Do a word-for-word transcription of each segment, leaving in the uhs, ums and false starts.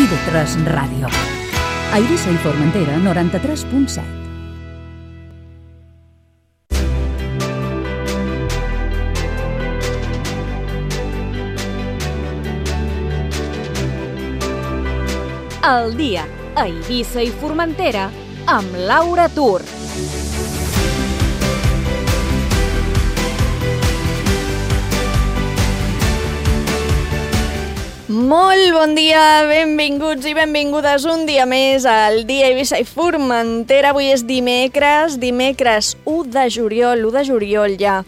i ve tres Ràdio. A Eivissa i Formentera, noranta-tres punt set. El dia a Eivissa i Formentera amb Laura Tur. Molt bon dia, benvinguts i benvingudes un dia més al dia Eivissa i Formentera. Avui és dimecres, dimecres u de juliol, u de juliol ja.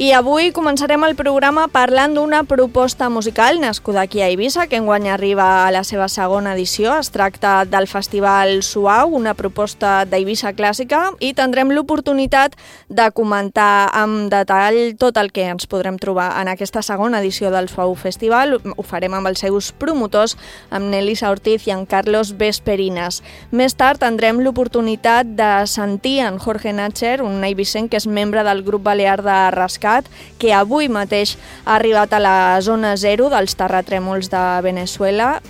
I avui començarem el programa parlant d'una proposta musical nascuda aquí a Eivissa, que enguany arriba a la seva segona edició. Es tracta del Festival Suau, una proposta d'Eivissa clàssica, i tindrem l'oportunitat de comentar amb detall tot el que ens podrem trobar en aquesta segona edició del Suau Festival. Ho farem amb els seus promotors, amb Nelisa Ortiz i en Carlos Vesperinas. Més tard tindrem l'oportunitat de sentir en Jorge Natcher, un eivissenc que és membre del grup balear de Rascat, que avui mateix ha arribat a la zona zero dels terratrèmols de Venezuela.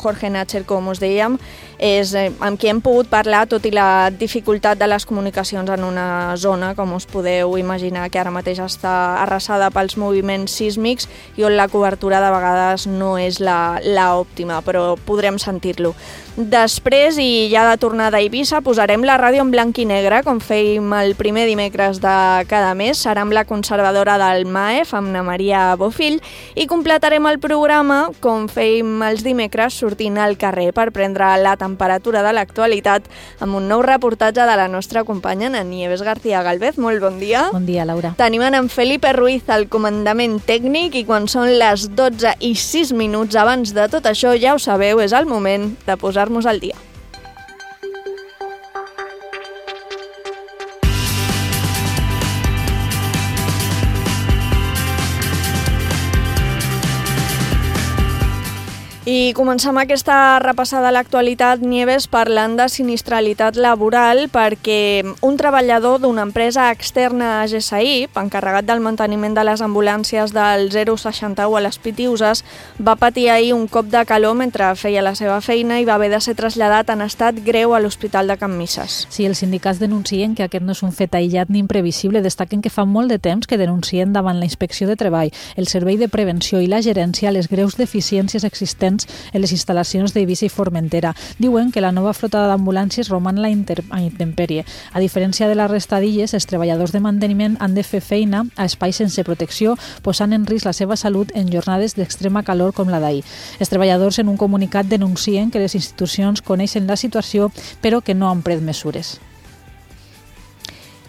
Jorge Natcher, com us dèiem, és amb qui hem pogut parlar, tot i la dificultat de les comunicacions en una zona, com us podeu imaginar, que ara mateix està arrasada pels moviments sísmics i on la cobertura de vegades no és la, la òptima, però podrem sentir-lo. Després, i ja de tornada a Eivissa, posarem la ràdio en blanc i negre, com fèiem el primer dimecres de cada mes. Serà amb la conservadora del M A E F, amb na Maria Bofill, i completarem el programa, com fèiem els dimecres, sortint al carrer per prendre la temperatura de l'actualitat amb un nou reportatge de la nostra companya, na Nieves García Galvez. Molt bon dia. Bon dia, Laura. Tenim en Felipe Ruiz al comandament tècnic i quan són les dotze i sis minuts abans de tot això, ja ho sabeu, és el moment de posar-nos al dia. I comencem aquesta repassada a l'actualitat, Nieves, parlant de sinistralitat laboral, perquè un treballador d'una empresa externa a G S I, encarregat del manteniment de les ambulàncies del zero seixanta u a les Pitiuses, va patir ahir un cop de calor mentre feia la seva feina i va haver de ser traslladat en estat greu a l'Hospital de Can Misses. Sí, els sindicats denuncien que aquest no és un fet aïllat ni imprevisible. Destaquen que fa molt de temps que denuncien davant la Inspecció de Treball, el Servei de Prevenció i la Gerència les greus deficiències existents en les instal·lacions d'Eivissa i Formentera. Diuen que la nova flota d'ambulàncies roman la inter- a intempèrie. A diferència de la resta d'illes, els treballadors de manteniment han de fer feina a espais sense protecció, posant en risc la seva salut en jornades d'extrema calor com la d'ahir. Els treballadors en un comunicat denuncien que les institucions coneixen la situació però que no han pres mesures.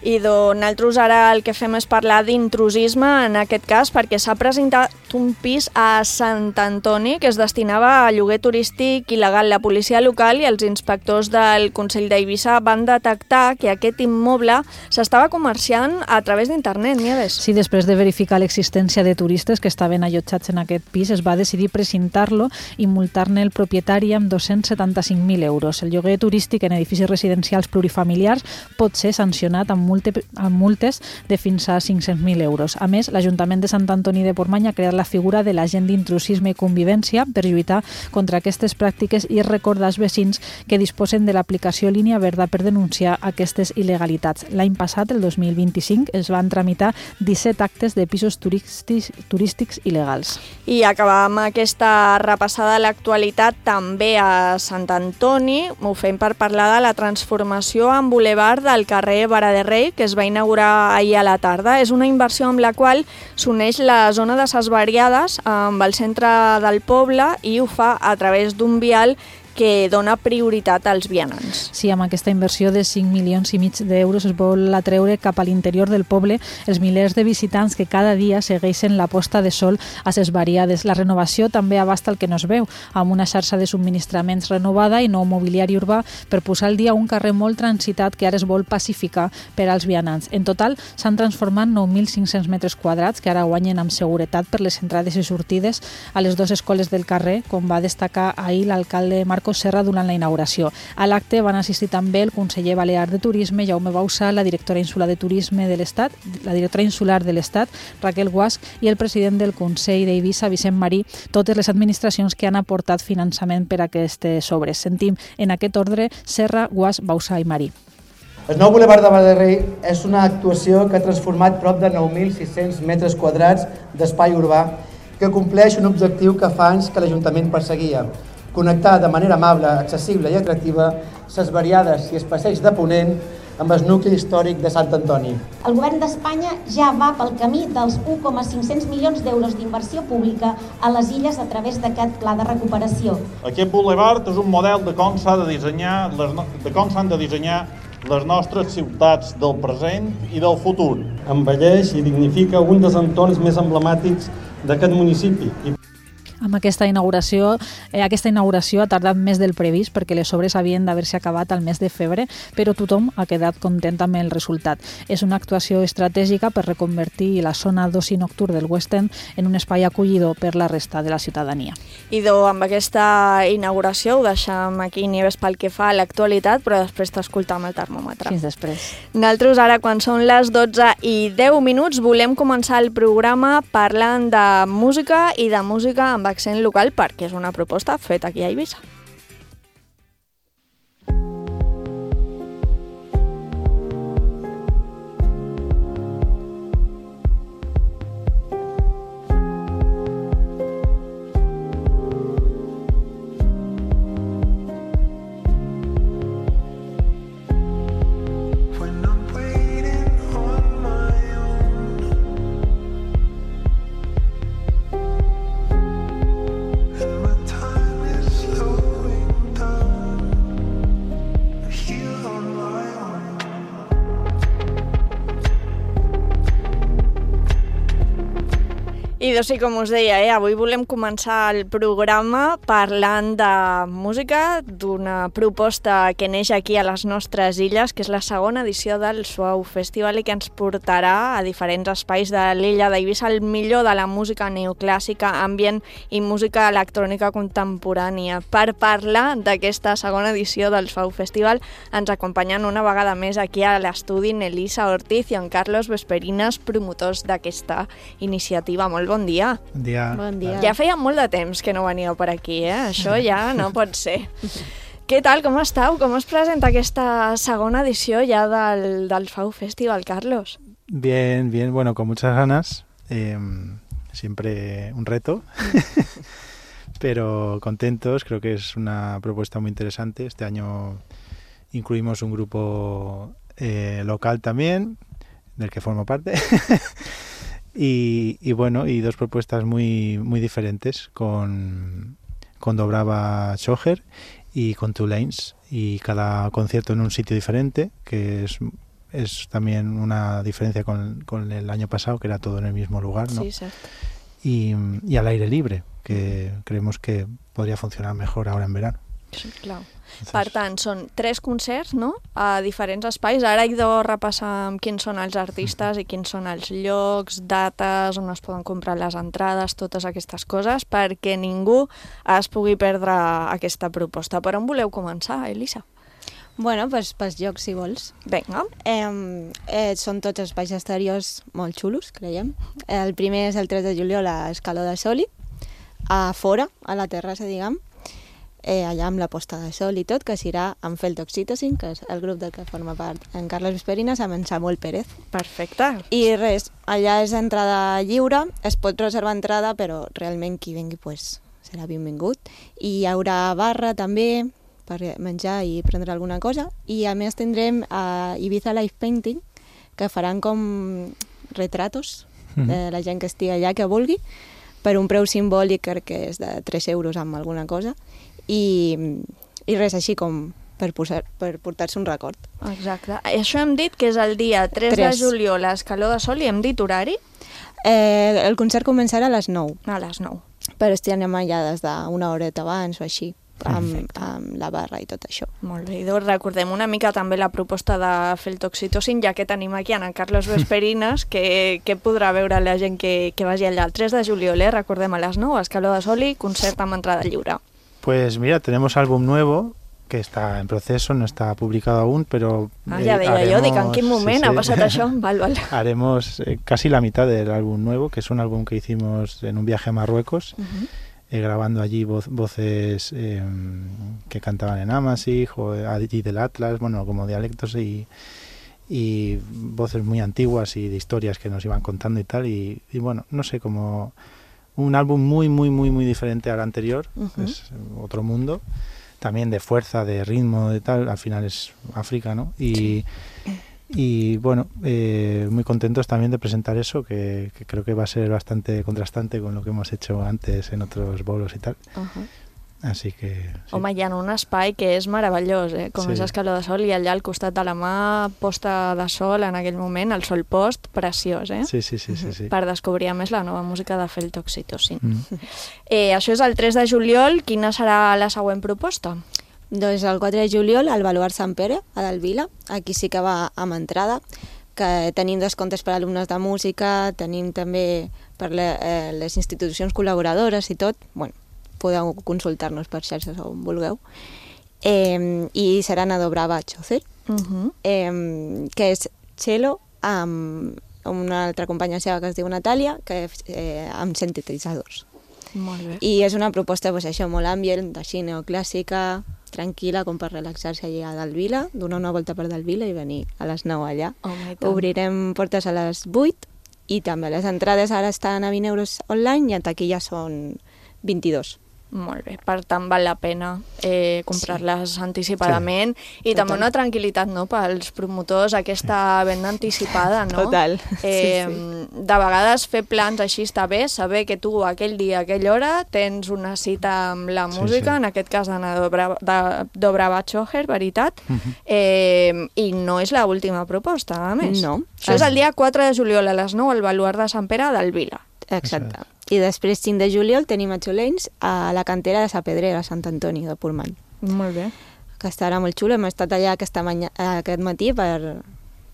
I nosaltres ara el que fem és parlar d'intrusisme en aquest cas, perquè s'ha presentat un pis a Sant Antoni que es destinava a lloguer turístic il·legal. La policia local i els inspectors del Consell d'Eivissa van detectar que aquest immoble s'estava comerciant a través d'internet, Nieves. Sí, després de verificar l'existència de turistes que estaven allotjats en aquest pis, es va decidir precintar-lo i multar-ne el propietari amb dos-cents setanta-cinc mil euros. El lloguer turístic en edificis residencials plurifamiliars pot ser sancionat amb amb multes de fins a cinc-cents mil euros. A més, l'Ajuntament de Sant Antoni de Portmany ha creat la figura de l'agent d'intrusisme i convivència per lluitar contra aquestes pràctiques i recordar als vecins que disposen de l'aplicació Línia Verda per denunciar aquestes il·legalitats. L'any passat, el dos mil vint-i-cinc, es van tramitar disset actes de pisos turístics, turístics il·legals. I acabam aquesta repassada a l'actualitat també a Sant Antoni. Ho fem per parlar de la transformació en bulevard del carrer Vara de Rei, que es va inaugurar ahir a la tarda. És una inversió amb la qual s'uneix la zona de Ses Variades amb el centre del poble i ho fa a través d'un vial que dona prioritat als vianants. Sí, amb aquesta inversió de cinc milions i mig d'euros es vol atreure cap a l'interior del poble els milers de visitants que cada dia segueixen la posta de sol a Ses Variades. La renovació també abasta el que no es veu, amb una xarxa de subministraments renovada i nou mobiliari urbà per posar al dia un carrer molt transitat que ara es vol pacificar per als vianants. En total s'han transformat nou mil cinc-cents metres quadrats que ara guanyen amb seguretat per les entrades i sortides a les dues escoles del carrer, com va destacar ahir l'alcalde Marc Marcos Serra durant la inauguració. A l'acte van assistir també el conseller balear de Turisme, Jaume Bausà, la directora insular de Turisme de l'Estat, la directora insular de l'Estat, Raquel Guasch, i el president del Consell d'Eivissa, Vicent Marí, totes les administracions que han aportat finançament per a aquestes obres. Sentim en aquest ordre Serra, Guasch, Bausà i Marí. El nou Boulevard de Balaguer és una actuació que ha transformat prop de nou mil sis-cents metres quadrats d'espai urbà que compleix un objectiu que fa anys que l'Ajuntament perseguia: connectar de manera amable, accessible i atractiva les variades i els passeigs de Ponent amb el nucli històric de Sant Antoni. El govern d'Espanya ja va pel camí dels un coma cinc-cents milions d'euros d'inversió pública a les illes a través d'aquest pla de recuperació. Aquest boulevard és un model de com s'ha de dissenyar, de com s'han de dissenyar les nostres ciutats del present i del futur. Embelleix i dignifica un dels entorns més emblemàtics d'aquest municipi. Amb aquesta inauguració, eh, aquesta inauguració ha tardat més del previst perquè les obres havien d'haver-se acabat al mes de febrer, però tothom ha quedat content amb el resultat. És una actuació estratègica per reconvertir la zona d'oci nocturn del West End en un espai acollidor per la resta de la ciutadania. Idò, amb aquesta inauguració ho deixem aquí, Nieves, pel que fa a l'actualitat, però després t'escoltam el termòmetre. Fins després. Nosaltres ara, quan són les dotze i deu minuts, volem començar el programa parlant de música i de música amb accent local, perquè és una proposta feta aquí a Eivissa. I doncs sí, com us deia, eh, avui volem començar el programa parlant de música, d'una proposta que neix aquí a les nostres illes, que és la segona edició del Suau Festival i que ens portarà a diferents espais de l'illa d'Eivissa el millor de la música neoclàssica, ambient i música electrònica contemporània. Per parlar d'aquesta segona edició del Suau Festival ens acompanyen una vegada més aquí a l'estudi Nelisa Ortiz i en Carlos Vesperinas, promotors d'aquesta iniciativa. Molt bon dia. Bon dia. Bon dia. Ja feia molt de temps que no veníeu per aquí, eh? Això ja no pot ser. Què tal, com esteu? Com es presenta aquesta segona edició ya del, del Suau Festival, Carlos? Bien, bien, bueno, con muchas ganas. Eh, siempre un reto. Pero contentos, creo que es una propuesta muy interesante. Este año incluimos un grupo eh, local también, del que formo parte. Y, y bueno, y dos propuestas muy muy diferentes con, con Dobrava Schoger y con Two Lanes, y cada concierto en un sitio diferente, que es, es también una diferencia con, con el año pasado, que era todo en el mismo lugar, ¿no? Sí, exacto. Y, y al aire libre, que creemos que podría funcionar mejor ahora en verano. Sí, clar. Per tant, són tres concerts, no?, a diferents espais. Ara he de repassar quins són els artistes i quins són els llocs, dates, on es poden comprar les entrades, totes aquestes coses, perquè ningú es pugui perdre aquesta proposta. Per on voleu començar, Elisa? Bueno, pues, pels llocs, si vols. Vinga. Eh, eh, són tots espais exteriors molt xulos, creiem. El primer és el tres de juliol a Escaló de Soli, a fora, a la terrassa, diguem, eh, allà amb la posta de sol i tot, que serà amb Feltoxitosin, que és el grup del que forma part en Carles Vesperinas, amb en Samuel Pérez. Perfecte. I res, allà és entrada lliure, es pot reservar entrada, però realment qui vengui pues, serà benvingut. I hi haurà barra també, per menjar i prendre alguna cosa, i a més tindrem a Ibiza Live Painting, que faran com retratos de la gent que estigui allà, que vulgui, per un preu simbòlic, crec que és de tres euros amb alguna cosa, i, i res així com per, posar, per portar-se un record. Exacte. Això hem dit que és el dia tres de juliol a Escaló de Sol, i hem dit horari? Eh, el concert començarà a les nou. A les nou. Però estem allà des d'una horeta abans o així, amb, amb la barra i tot això. Molt bé, doncs recordem una mica també la proposta de Feltoxitosin, ja que tenim aquí en Carlos Vesperinas, que, que podrà veure la gent que, que vagi allà el tres de juliol, eh? Recordem a les nou, a Escaló de Soli, concert amb entrada lliure. Pues mira, tenemos álbum nuevo que está en proceso, no está publicado aún, pero... Ah, ja deia haremos, jo, dic, en quin moment sí, sí. ha passat això? Val, val. Haremos eh, casi la mitad del álbum nuevo, que es un álbum que hicimos en un viaje a Marruecos, uh-huh. eh, grabando allí vo voces eh, que cantaban en Amasig o allí del Atlas, bueno, como dialectos y, y voces muy antiguas y de historias que nos iban contando y tal, y, y bueno, no sé, como un álbum muy, muy, muy, muy diferente al anterior, uh-huh. es otro mundo. También de fuerza, de ritmo, de tal, al final es África, ¿no? Y, sí. y bueno, eh, muy contentos también de presentar eso, que, que creo que va a ser bastante contrastante con lo que hemos hecho antes en otros bolos y tal. Uh-huh. Así que... Sí. Home, hi ha un espai que és meravellós, eh? Com sí. és Escaló de Sol, i allà al costat de la mà, posta de sol en aquell moment, el sol post, preciós, eh? Sí, sí, sí. sí, sí. Per descobrir, a més, la nova música de Feltoxitocin. Mm. Eh, això és el tres de juliol. Quina serà la següent proposta? Doncs el quatre de juliol, al Baluart Sant Pere, a Delvila. Aquí sí que va amb entrada, que tenim descomptes per a alumnes de música, tenim també per le, eh, les institucions col·laboradores i tot. Bueno, podeu consultar-nos per xarxes on vulgueu. Eh, I seran a Dobrava Chocer, uh-huh. eh, que és cello amb una altra companya seva que es diu Natàlia, que eh, amb sintetitzadors. Molt bé. I és una proposta, pues, això, molt ambient, així neoclàssica, tranquil·la, com per relaxar-se allà a Delvila, donar una volta per Delvila i venir a les nou allà. Oh, obrirem portes a les vuit i també les entrades ara estan a vint euros online i en taquilla són vint-i-dos. Molt bé, per tant val la pena eh, comprar-les sí. anticipadament sí. i Total. També una tranquil·litat, no?, pels promotors, aquesta venda anticipada, no? Total, eh, sí, sí. De vegades fer plans així està bé, saber que tu aquell dia, aquella hora, tens una cita amb la música, sí, sí. en aquest cas d'Anna Dobrava Chocer, veritat, uh-huh. eh, i no és l'última proposta, a més. No. Això és el dia quatre de juliol a les nou al Baluart de Sant Pere del Vila. Exacte. I després, cinc de juliol, tenim a Xolens a la cantera de Sa Pedrera, a Sant Antoni de Portmany. Molt bé. Que estarà molt xulo. Hem estat allà aquesta manya, aquest matí per,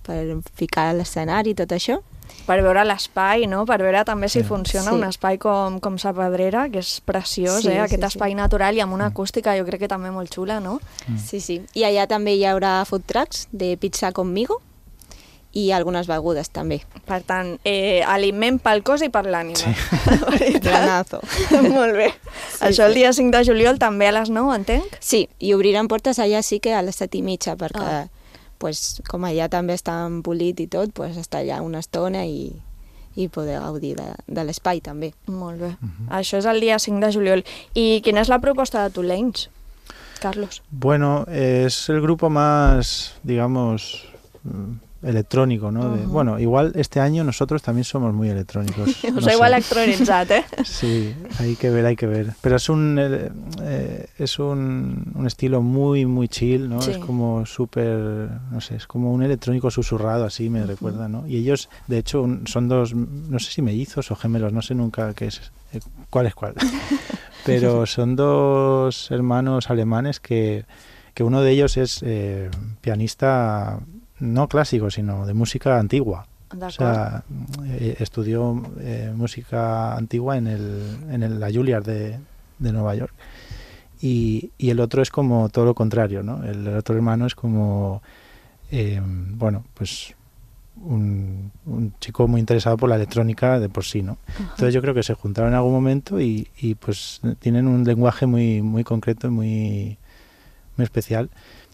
per ficar l'escenari i tot això. Per veure l'espai, no? Per veure també si sí. funciona sí. un espai com, com Sa Pedrera, que és preciós, sí, eh? Aquest sí, espai sí. natural i amb una acústica jo crec que també molt xula, no? Mm. Sí, sí. I allà també hi haurà food trucks de pizza conmigo i algunes begudes també. Per tant, eh, aliment pel cos i per l'ànima. Sí. Planazo. Molt bé. Sí, Això el dia cinc de juliol també a les nou, entenc? Sí, i obriran portes allà sí que a les set i mitja, perquè ah. pues, com allà també està polit i tot, pues, està allà una estona i, i poder gaudir de, de l'espai també. Molt bé. Uh-huh. Això és el dia cinc de juliol. I quina és la proposta de Tolens, Carlos? Bueno, es el grupo más, digamos... electrónico, ¿no? Uh-huh. De, bueno, igual este año nosotros también somos muy electrónicos. Os no igual electronitzat, ¿eh? Sí, hay que ver, hay que ver. Pero es un eh, es un, un estilo muy, muy chill, ¿no? Sí. Es como súper, no sé, es como un electrónico susurrado, así me uh-huh. recuerda, ¿no? Y ellos, de hecho, un, son dos, no sé si mellizos o gemelos, no sé nunca qué es, eh, cuál es cuál. Pero son dos hermanos alemanes que, que uno de ellos es eh, pianista... no clásico, sino de música antigua. O sea, eh, estudió eh, música antigua en, el, en el, la Juilliard de, de Nueva York. Y, y el otro es como todo lo contrario, ¿no? El otro hermano es como, eh, bueno, pues un, un chico muy interesado por la electrónica de por sí, ¿no? Uh-huh. Entonces yo creo que se juntaron en algún momento y, y pues tienen un lenguaje muy, muy concreto y muy, muy especial.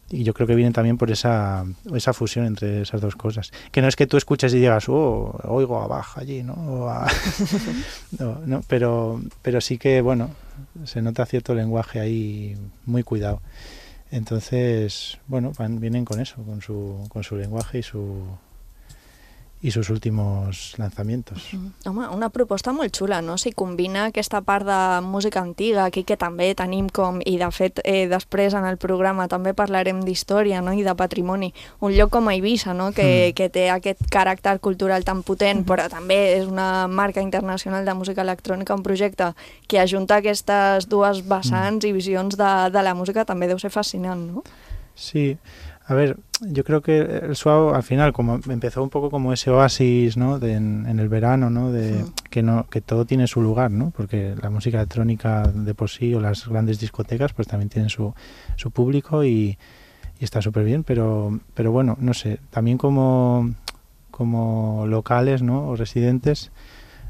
Y yo creo que vienen también por esa, esa fusión entre esas dos cosas. Que no es que tú escuches y digas, oh, oigo a Bach allí, ¿no? O a... no, no, pero, pero sí que, bueno, se nota cierto lenguaje ahí muy cuidado. Entonces, bueno, van, vienen con eso, con su, con su lenguaje y su... i sus últimos lanzamientos. Mm. Home, una proposta molt xula, no? Si combina aquesta part de música antiga, aquí que també tenim com, i de fet eh, després en el programa també parlarem d'història, no? I de patrimoni. Un lloc com Eivissa, no? Que, mm. que té aquest caràcter cultural tan potent, mm. però també és una marca internacional de música electrònica, un projecte que ajunta aquestes dues vessants mm. i visions de, de la música també deu ser fascinant, no? Sí, A ver, yo creo que el Suau al final como empezó un poco como ese oasis, ¿no? De, en, en el verano, ¿no? De sí. que no que todo tiene su lugar, ¿no? Porque la música electrónica de por sí o las grandes discotecas pues también tienen su, su público y, y está súper bien, pero pero bueno, no sé, también como como locales, ¿no? O residentes,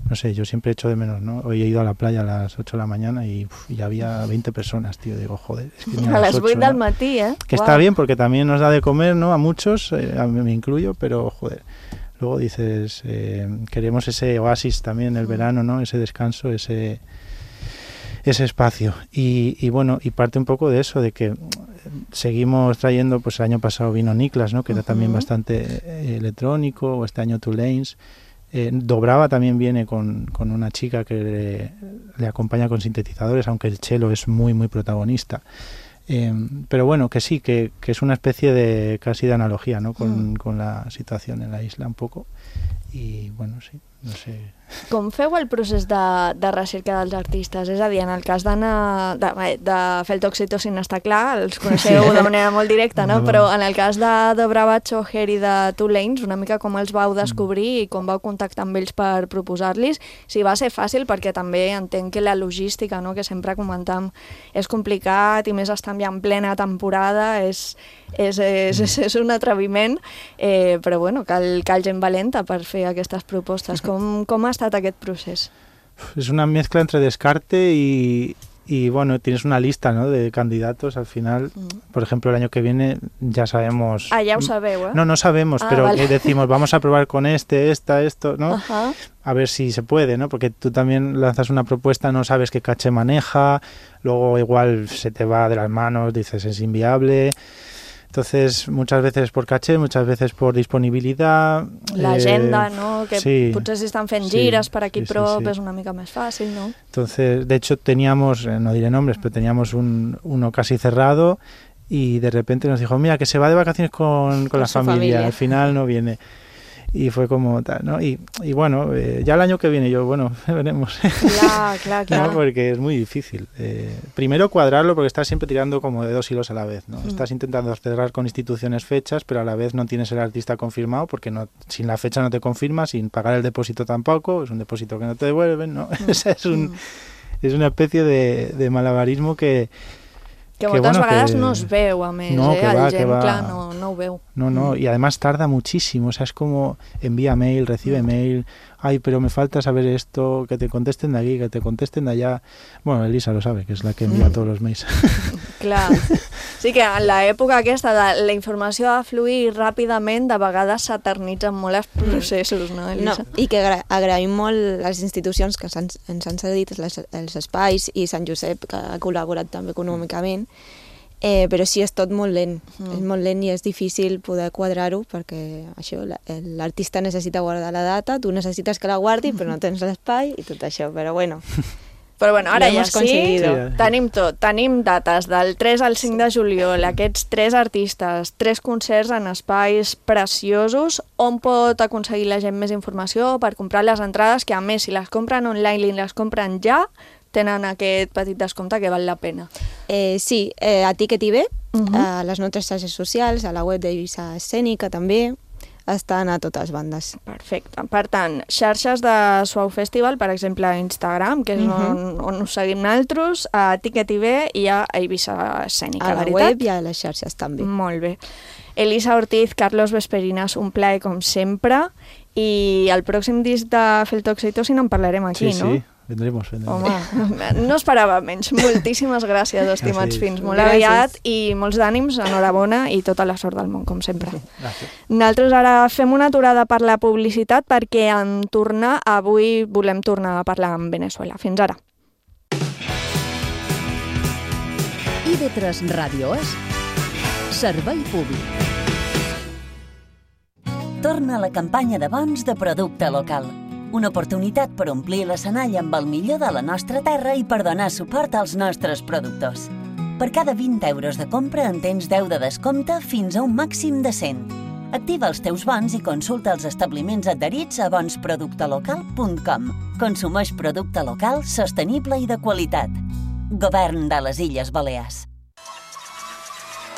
no sé, yo siempre echo de menos, ¿no? Hoy he ido a la playa a las ocho de la mañana y, uf, y había veinte personas, tío. Digo, joder, es que a, a las ocho del matí, ¿eh? Que wow. Está bien porque también nos da de comer, ¿no? A muchos, eh, a mí me incluyo, pero, joder, luego dices, eh, queremos ese oasis también en el verano, ¿no? Ese descanso, ese ese espacio. Y, y bueno, y parte un poco de eso, de que seguimos trayendo, pues el año pasado vino Niklas, ¿no? Que uh-huh. era también bastante eh, electrónico, o este año Two Lanes. Eh, Dobrava también viene con, con una chica que le, le acompaña con sintetizadores, aunque el cello es muy, muy protagonista. Eh, pero bueno, que sí, que, que es una especie de casi de analogía, ¿no? Con, mm. con la situación en la isla un poco. I, bueno, sí, no sé... Com feu el procés de, de recerca dels artistes? És a dir, en el cas d'Anna, de, de Feltoxitocin està clar, els coneixeu sí. de manera molt directa, no? no? Però en el cas de Dobrava, Choher i de Two Lanes, una mica com els vau descobrir mm. i com vau contactar amb ells per proposar-los, si va ser fàcil, perquè també entenc que la logística, no? Que sempre comentam, és complicat i més estan ja en plena temporada, és... És, és, és, és un atreviment, eh, però bueno, cal, cal gent valenta per fer aquestes propostes. Com, com ha estat aquest procés? Es una mezcla entre descarte y, y bueno, tienes una lista, ¿no? De candidatos al final. Mm. Por ejemplo, el año que viene ya sabemos... Ah, ya ho sabeu, ¿eh? No, no sabemos, ah, pero vale. decimos, vamos a probar con este, esta, esto, ¿no? Ajá. A ver si se puede, ¿no? Porque tú también lanzas una propuesta, no sabes qué caché maneja, luego igual se te va de las manos, dices, es inviable... Entonces, muchas veces por caché, muchas veces por disponibilitat... L'agenda, eh, no? Que sí, potser si estan fent gires sí, per aquí sí, sí, prop sí. és una mica més fàcil, ¿no? Entonces, de hecho, teníamos, no diré nombres, pero teníamos un, uno casi cerrado y de repente nos dijo, mira, que se va de vacaciones con, con, con la familia. familia, al final no viene. Y fue como tal, ¿no? Y, y bueno, eh, ya el año que viene yo, bueno, veremos. Claro, claro, claro. ¿No? Porque es muy difícil. Eh, primero cuadrarlo porque estás siempre tirando como de dos hilos a la vez, ¿no? Mm. Estás intentando cerrar con instituciones fechas, pero a la vez no tienes el artista confirmado porque no, sin la fecha no te confirma, sin pagar el depósito tampoco, es un depósito que no te devuelven, ¿no? Mm. es, un, mm. es una especie de, de malabarismo que... Que moltes bueno, vegades que... no es veu, a més, no, eh? Que el va, gent, que va. clar, no, no ho veu. No, no, mm. y además tarda muchísimo, o sea, es como envía mail, recibe mm. mail, ay, pero me falta saber esto, que te contesten de aquí, que te contesten de allá. Bueno, Elisa lo sabe, que es la que envía mm. todos los mails. Clar, sí que en l'època aquesta de la informació ha de fluir ràpidament, de vegades s'eternitzen molt els processos, no, Elisa? No, i que agra agraïm molt les institucions que ens han cedit les, els espais i Sant Josep, que ha col·laborat també econòmicament, eh, però sí, és tot molt lent, mm. és molt lent i és difícil poder quadrar-ho perquè això, l'artista necessita guardar la data, tu necessites que la guardi però no tens l'espai i tot això, però bueno... Però bueno, ara ja sí, sí, tenim tot, tenim dates del tres al cinc de juliol, aquests tres artistes, tres concerts en espais preciosos. On pot aconseguir la gent més informació per comprar les entrades, que a més si les compren online i les compren ja, tenen aquest petit descompte que val la pena. Eh, sí, eh, a Ticket I B, uh-huh. a les nostres xarxes socials, a la web d'Eivissa Escènica també, estan a totes bandes. Perfecte. Per tant, xarxes de Suau Festival, per exemple, a Instagram, que és uh-huh. on, on us seguim nosaltres, a Ticket I B i a Eivissa Escènica, a la veritat? web i a les xarxes també. Molt bé. Elisa Ortiz, Carlos Vesperinas, un plaer com sempre, i el pròxim disc de Feltoxitocin en parlarem aquí, sí, no? Sí. Vendremos, vendremos. Home, no esperava menys. Moltíssimes gràcies, estimats fins. Molt aviat i molts d'ànims, enhorabona i tota la sort del món, com sempre. Gràcies. Nosaltres ara fem una aturada per la publicitat perquè en tornar, avui volem tornar a parlar amb Venezuela. Fins ara. I D tres Ràdio és Servei Públic. Torna la campanya de bons de producte local. Una oportunitat per omplir l'escenari amb el millor de la nostra terra i per donar suport als nostres productors. Per cada vint euros de compra en tens deu de descompte fins a un màxim de cent. Activa els teus bons i consulta els establiments adherits a bons producte local punt com. Consumeix producte local, sostenible i de qualitat. Govern de les Illes Balears.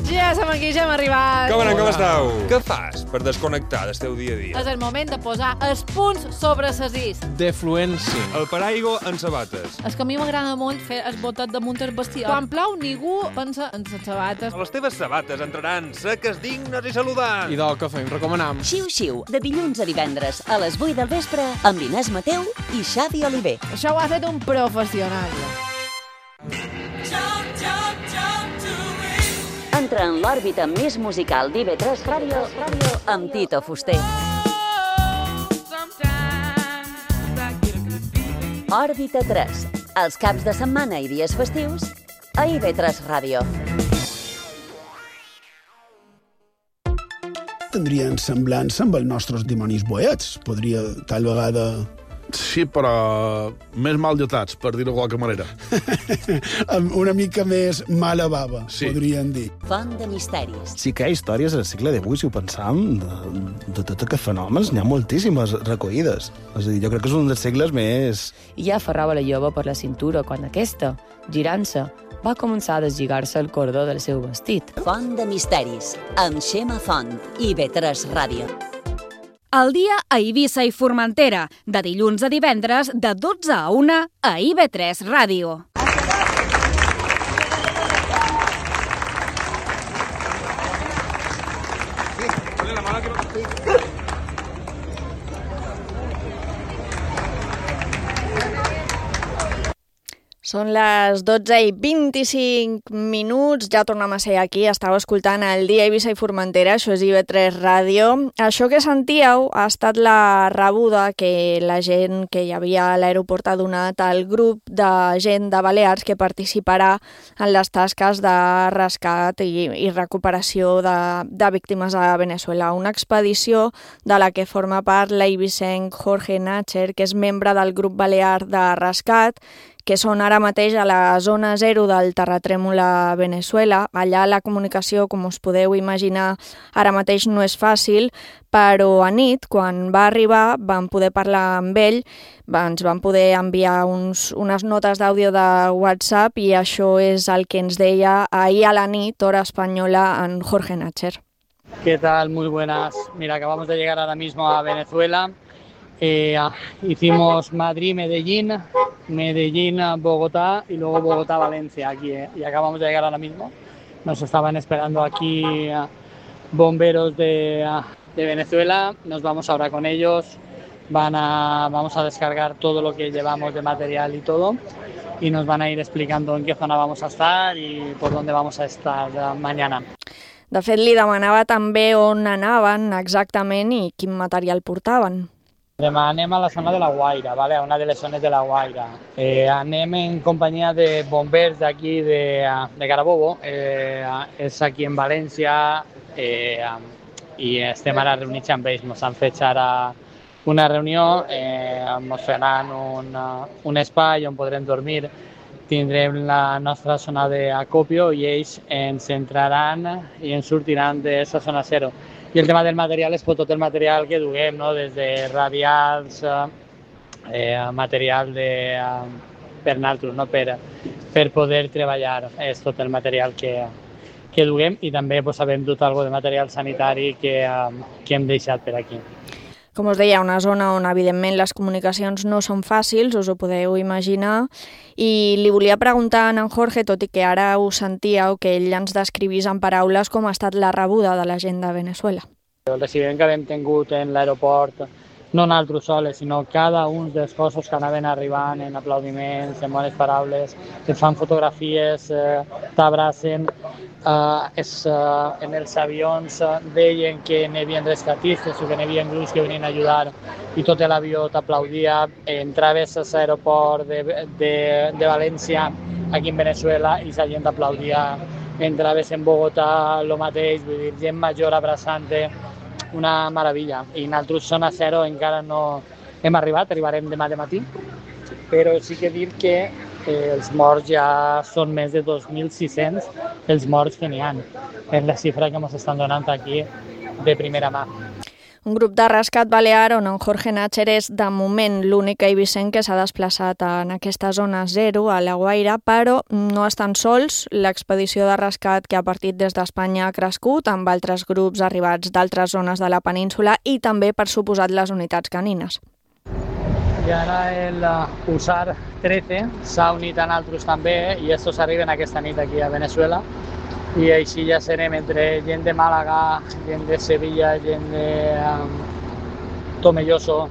Ja som aquí, ja hem arribat. Com anem, com esteu? Què fas per desconnectar del teu dia a dia? És el moment de posar els punts sobre les is. Defluència. El paraigua en sabates. És que a mi m'agrada molt fer el botet damunt el vestidor. Quan plou, ningú pensa en les sabates. Les teves sabates entraran seques, dignes i saludants. I del que fem, recomanam. Xiu-xiu, de dilluns a divendres a les vuit del vespre amb Inés Mateu i Xavi Oliver. Això ho ha fet un professional. Entra en l'òrbita més musical d'I V tres Ràdio amb Tito Fuster. Òrbita tres, els caps de setmana i dies festius a I V tres Ràdio. Tindrien semblança amb els nostres dimonis boets. Podria, tal vegada... Sí, però més mal dotats, per dir-ho de qualque manera. Amb una mica més mala bava, sí. Podríem dir. Font de misteris. Sí que hi ha històries al segle divuit, si ho pensam, de, de tots aquests fenòmens, n'hi ha moltíssimes recollides. És a dir, jo crec que és un dels segles més... I ja aferrava la jove per la cintura quan aquesta, girant-se, va començar a deslligar-se el cordó del seu vestit. Font de misteris, amb Xema Font, I V tres Ràdio. El dia a Eivissa i Formentera, de dilluns a divendres, de dotze a una, a I V tres Ràdio. Són les dotze i vint-i-cinc minuts, ja tornem a ser aquí, estàu escoltant el dia a Eivissa i Formentera, això és I V tres Ràdio. Això que sentíeu ha estat la rebuda que la gent que hi havia a l'aeroport ha donat al grup de gent de Balears que participarà en les tasques de rescat i, i recuperació de, de víctimes a Venezuela. Una expedició de la que forma part l'eivissenc Jorge Nácher, que és membre del grup balear de rescat, que són ara mateix a la zona zero del terratrèmol a Venezuela. Allà la comunicació, com us podeu imaginar, ara mateix no és fàcil, però a nit, quan va arribar, vam poder parlar amb ell, ens van poder enviar uns, unes notes d'àudio de WhatsApp i això és el que ens deia ahir a la nit, hora espanyola, en Jorge Nácher. ¿Qué tal? Muy buenas. Mira, acabamos de llegar ahora mismo a Venezuela. Eh, hicimos Madrid-Medellín, Medellín-Bogotá y luego Bogotá-Valencia aquí, eh, y acabamos de llegar ahora mismo. Nos estaban esperando aquí uh, bomberos de, uh, de Venezuela, nos vamos ahora con ellos, van a, vamos a descargar todo lo que llevamos de material y todo y nos van a ir explicando en qué zona vamos a estar y por dónde vamos a estar uh, mañana. De fet, li demanava també on anaven exactament i quin material portaven. Demà anem a la zona de la Guaira, ¿vale? A una de les zones de la Guaira. Eh, anem en companyia de bombers d'aquí de, de Carabobo, eh, és aquí en València, eh, i estem ara reunits amb ells. Ens han fet ara una reunió, eh, ens faran un, un espai on podrem dormir, tindrem la nostra zona d'acopio i ells ens entraran i ens sortiran d'aquesta zona zero. I el tema del material és tot el material que duguem, no? Des de radials, eh, material de, uh, per nosaltres, no? per, per poder treballar. És tot el material que, que duguem i també pues, sabem dut alguna de material sanitari que, uh, que hem deixat per aquí. Com us deia, una zona on evidentment les comunicacions no són fàcils, us ho podeu imaginar, i li volia preguntar a en Jorge, tot i que ara ho sentíeu, que ell ens descrivís en paraules com ha estat la rebuda de la gent de Venezuela. El recibiment que hem tingut en l'aeroport, no nosaltres soles, sinó cada un dels cossos que anaven arribant en aplaudiments, en bones paraules, et fan fotografies, eh, t'abracen. Uh, és, uh, en els avions uh, deien que n'hi havia rescatistes o que n'hi havia grups que venien a ajudar i tot l'avió t'aplaudia. Entraves a l'aeroport de, de, de València, aquí en Venezuela, i la gent t'aplaudia. Entraves en Bogotà, el mateix, vull dir, gent major abraçant-te, una meravella. I nosaltres, zona zero, encara no hem arribat, arribarem demà de matí, però sí que dir que Eh, els morts ja són més de dos mil sis-cents els morts que n'hi ha. És la xifra que ens estan donant aquí de primera mà. Un grup de rescat balear on en Jorge Nácher és, de moment, l'únic eivissenc que s'ha desplaçat en aquesta zona zero, a La Guaira, però no estan sols. L'expedició de rescat que ha partit des d'Espanya ha crescut, amb altres grups arribats d'altres zones de la península i també, per suposat, les unitats canines. I ara el U S A R trece s'ha unit a nosaltres també i estos arriben aquesta nit aquí a Venezuela. I així ja serem entre gent de Màlaga, gent de Sevilla, gent de um, Tomelloso,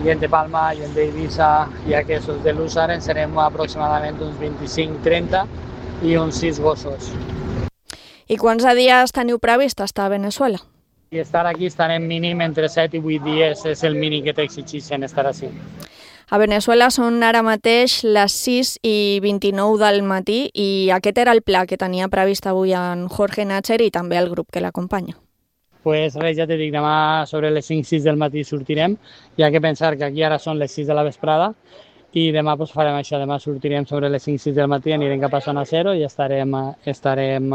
gent de Palma, gent d'Eivissa i aquests de l'U S A R en serem aproximadament uns vint-i-cinc trenta i uns sis gossos. I quants dies teniu previst estar a Venezuela? I estar aquí estarem mínim entre set i vuit dies, és el mínim que t'exigeixen estar així. A Venezuela són ara mateix les sis i vint-i-nou del matí i aquest era el pla que tenia previst avui en Jorge Nácher i també el grup que l'acompanya. Pues res, ja t'he dit, demà sobre les cinc sis del matí sortirem. Hi ha que pensar que aquí ara són les sis de la vesprada i demà pues, farem això, demà sortirem sobre les cinc sis del matí, anirem cap a zona zero i estarem, estarem,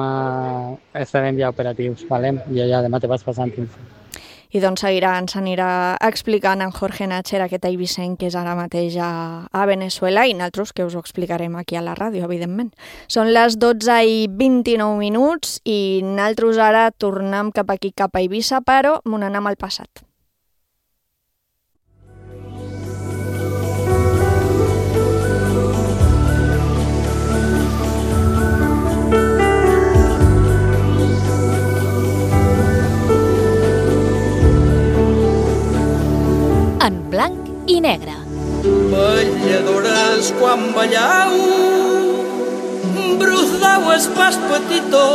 estarem ja operatius, vale? I ja demà te vas passant info. I doncs seguirà, ens anirà explicant en Jorge Nácher aquest eivissenc que és ara mateix a, a Venezuela i nosaltres que us ho explicarem aquí a la ràdio, evidentment. Són les dotze i vint-i-nou minuts i nosaltres ara tornem cap aquí, cap a Eivissa, però m'ho anem al passat. En blanc i negre. Balladores quan ballau, brusdau es pas petitó,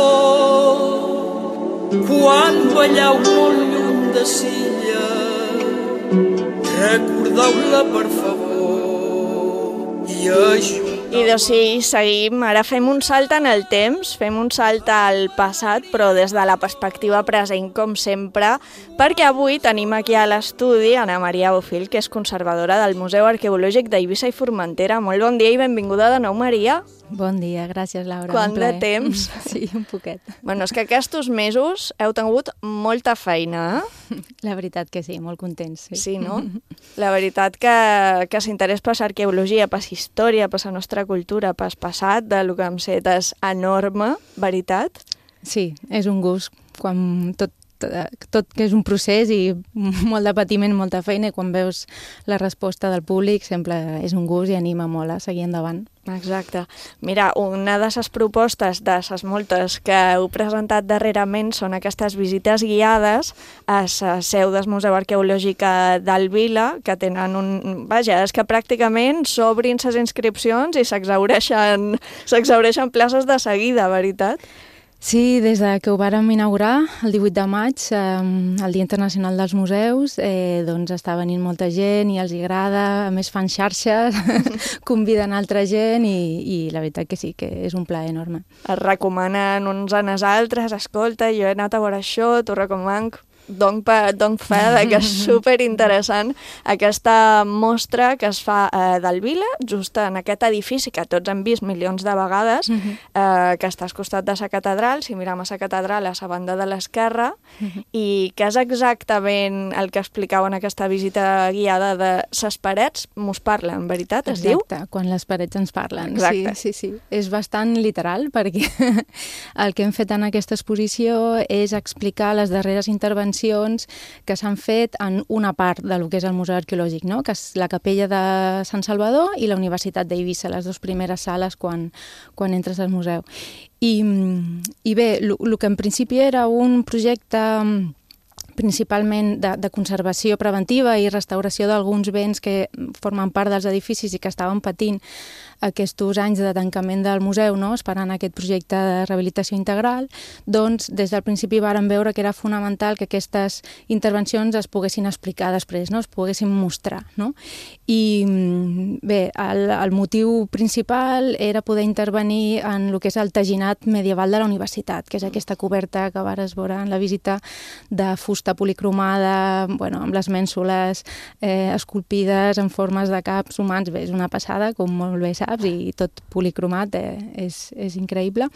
quan ballau molt lluny de Silla, recordeu-la per favor i això. I doncs sí, seguim. Ara fem un salt en el temps, fem un salt al passat, però des de la perspectiva present, com sempre, perquè avui tenim aquí a l'estudi Ana Maria Bofill, que és conservadora del Museu Arqueològic d'Eivissa i Formentera. Molt bon dia i benvinguda de nou, Maria. Bon dia, gràcies, Laura. Quant de temps? Sí, un poquet. Bueno, és que aquests mesos heu tingut molta feina, eh? La veritat que sí, molt contents. Sí, sí no? La veritat que, que s'interès per l'arqueologia, per la història, per la nostra cultura, per el passat, de lo que hem set és enorme, veritat? Sí, és un gust. Quan tot, tot que és un procés i molt de patiment, molta feina, i quan veus la resposta del públic sempre és un gust i anima molt a seguir endavant. Exacte. Mira, una de les propostes de les moltes que heu presentat darrerament són aquestes visites guiades a la seu del Museu Arqueològic del Vila, que tenen un... Vaja, és que pràcticament s'obrin les inscripcions i s'exhaureixen s'exhaureixen places de seguida, veritat? Sí, des de que ho vàrem inaugurar, el divuit de maig, eh, el Dia Internacional dels Museus, eh, doncs està venint molta gent i els agrada, a més fan xarxes, conviden altra gent i, i la veritat que sí, que és un plaer enorme. Es recomanen uns als altres, escolta, jo he anat a veure això, t'ho recomano. Dono fe que és superinteressant aquesta mostra que es fa eh, del Vila, just en aquest edifici que tots hem vist milions de vegades, uh-huh. eh, que està al costat de la catedral, si mirem a la catedral a la banda de l'esquerra, uh-huh. i que és exactament el que explicau en aquesta visita guiada de les parets, mos parlen, veritat, es diu? Exacte, quan les parets ens parlen. Exacte. Sí, sí, sí. És bastant literal perquè el que hem fet en aquesta exposició és explicar les darreres intervencions que s'han fet en una part de lo que és el Museu Arqueològic, no? Que és la Capella de Sant Salvador i la Universitat d'Eivissa, les dues primeres sales quan, quan entres al museu. I, i bé, el que en principi era un projecte principalment de, de conservació preventiva i restauració d'alguns béns que formen part dels edificis i que estaven patint aquests anys de tancament del museu, no? Esperant aquest projecte de rehabilitació integral, doncs des del principi vàrem veure que era fonamental que aquestes intervencions es poguessin explicar després, no? Es poguessin mostrar. No? I bé, el, el motiu principal era poder intervenir en el que és el teginat medieval de la universitat, que és aquesta coberta que vares veure en la visita de fusta policromada, bueno, amb les mènsules eh, esculpides en formes de caps humans. Bé, és una passada, com molt bé saps. saps? I tot policromat, eh, és, és increïble.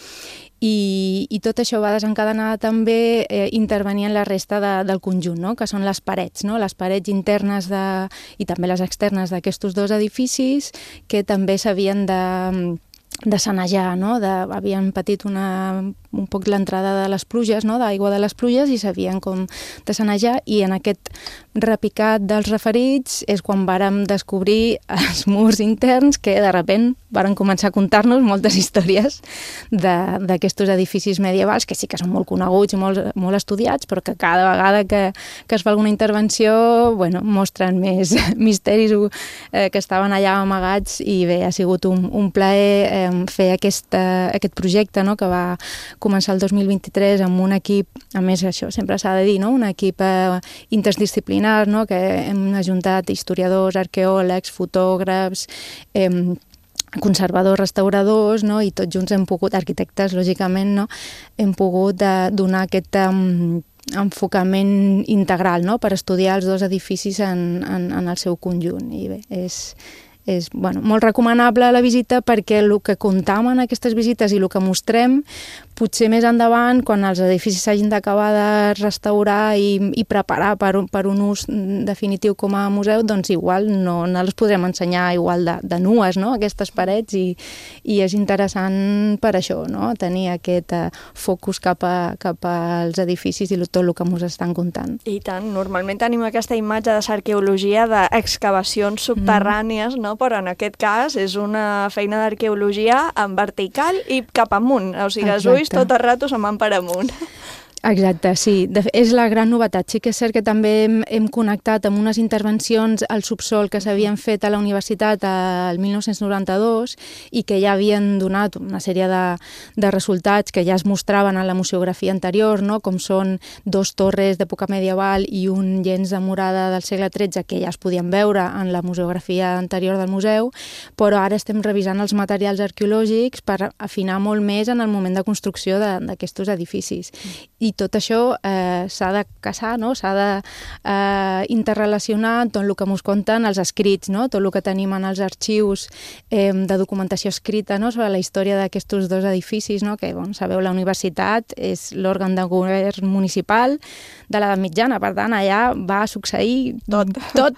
I, i tot això va desencadenar també eh, intervenir en la resta de, del conjunt, no? Que són les parets, no? Les parets internes de, i també les externes d'aquests dos edificis que també s'havien de de sanejar, no? De, havien patit una, un poc l'entrada de les pluges, no? D'aigua de les pluges i s'havien com de sanejar, i en aquest repicat dels referits és quan vàrem descobrir els murs interns que de sobte varen començar a contar-nos moltes històries d'aquests edificis medievals que sí que són molt coneguts i molt, molt estudiats, però que cada vegada que, que es fa alguna intervenció, bueno, mostren més misteris eh, que estaven allà amagats, i bé, ha sigut un, un plaer eh, fer aquesta, aquest projecte, no?, que va començar el dos mil vint-i-tres amb un equip, a més això sempre s'ha de dir, no?, un equip eh, interdisciplinar, no?, que hem ajuntat historiadors, arqueòlegs, fotògrafs, eh, conservadors, restauradors, no?, i tots junts hem pogut, arquitectes, lògicament, no?, hem pogut eh, donar aquest um, enfocament integral, no?, per estudiar els dos edificis en, en, en el seu conjunt. I bé, és... és bueno, molt recomanable la visita, perquè el que comptam en aquestes visites i el que mostrem, potser més endavant, quan els edificis s'hagin d'acabar de restaurar i, i preparar per, per un ús definitiu com a museu, doncs igual no, no les podrem ensenyar igual de, de nues, no?, aquestes parets, i, i és interessant per això, no?, tenir aquest uh, focus cap, a, cap als edificis i tot el que ens estan contant. I tant, normalment tenim aquesta imatge de l'arqueologia d'excavacions subterrànies, no?, però en aquest cas és una feina d'arqueologia en vertical i cap amunt, o sigui, els ulls tot el rato se'n van per amunt. Exacte, sí. De, és la gran novetat. Sí que és cert que també hem, hem connectat amb unes intervencions al subsol que s'havien fet a la universitat el mil nou-cents noranta-dos i que ja havien donat una sèrie de, de resultats que ja es mostraven en la museografia anterior, no?, com són dos torres d'època medieval i un llenç de murada del segle tretze que ja es podien veure en la museografia anterior del museu, però ara estem revisant els materials arqueològics per afinar molt més en el moment de construcció d'aquests edificis. I tot això eh, s'ha de casar, no?, s'ha de eh, interrelacionar tot el que ens conten els escrits, no?, tot el que tenim en els arxius eh, de documentació escrita, no?, sobre la història d'aquests dos edificis, no?, que, bon, sabeu, la universitat és l'òrgan de govern municipal de l'edat mitjana, per tant, allà va succeir tot. tot.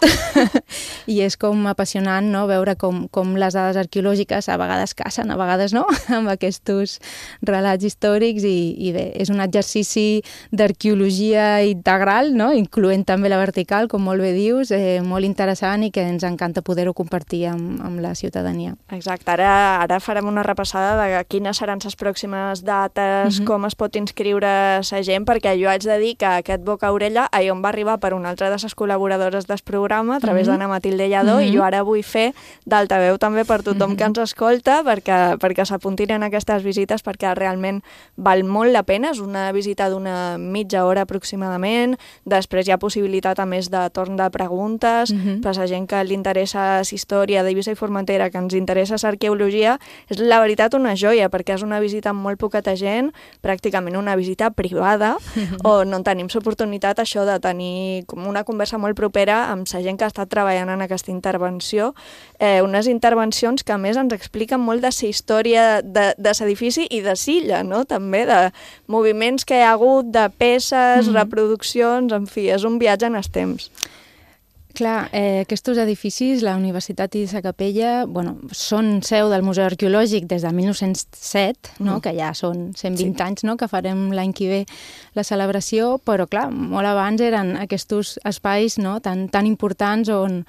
I és com apassionant, no?, veure com, com les dades arqueològiques a vegades casen, a vegades no, amb aquests relats històrics, i, i bé, és un exercici d'arqueologia integral, no?, incloent també la vertical, com molt bé dius, eh, molt interessant, i que ens encanta poder-ho compartir amb, amb la ciutadania. Exacte, ara, ara farem una repassada de quines seran les pròximes dates, mm-hmm. com es pot inscriure la gent, perquè jo haig de dir que aquest Boca Orella ahir on va arribar per una altra de les col·laboradores del programa, a través mm-hmm. d'Anna Matilde Lladó, mm-hmm. i jo ara vull fer d'altaveu també per tothom mm-hmm. que ens escolta, perquè, perquè s'apuntin en aquestes visites, perquè realment val molt la pena. És una visita d'una mitja hora aproximadament, després hi ha possibilitat a més de torn de preguntes, mm-hmm. per la gent que li interessa la història d'Eivissa i Formentera, que ens interessa l'arqueologia, és la veritat una joia, perquè és una visita amb molt poqueta gent, pràcticament una visita privada, mm-hmm. on no tenim l'oportunitat això de tenir com una conversa molt propera amb la gent que ha estat treballant en aquesta intervenció, eh, unes intervencions que a més ens expliquen molt de la història de, de l'edifici i de Silla, no?, també de moviments que hi ha hagut, de peces, mm. reproduccions, en fi, és un viatge en els temps. Clar, eh, aquests edificis, la Universitat i la Capella, bueno, són seu del Museu Arqueològic des de mil nou-cents set, no? Mm. que ja són cent vint sí. anys, no? que farem l'any que ve la celebració, però clar, molt abans eren aquests espais, no? tan, tan importants on,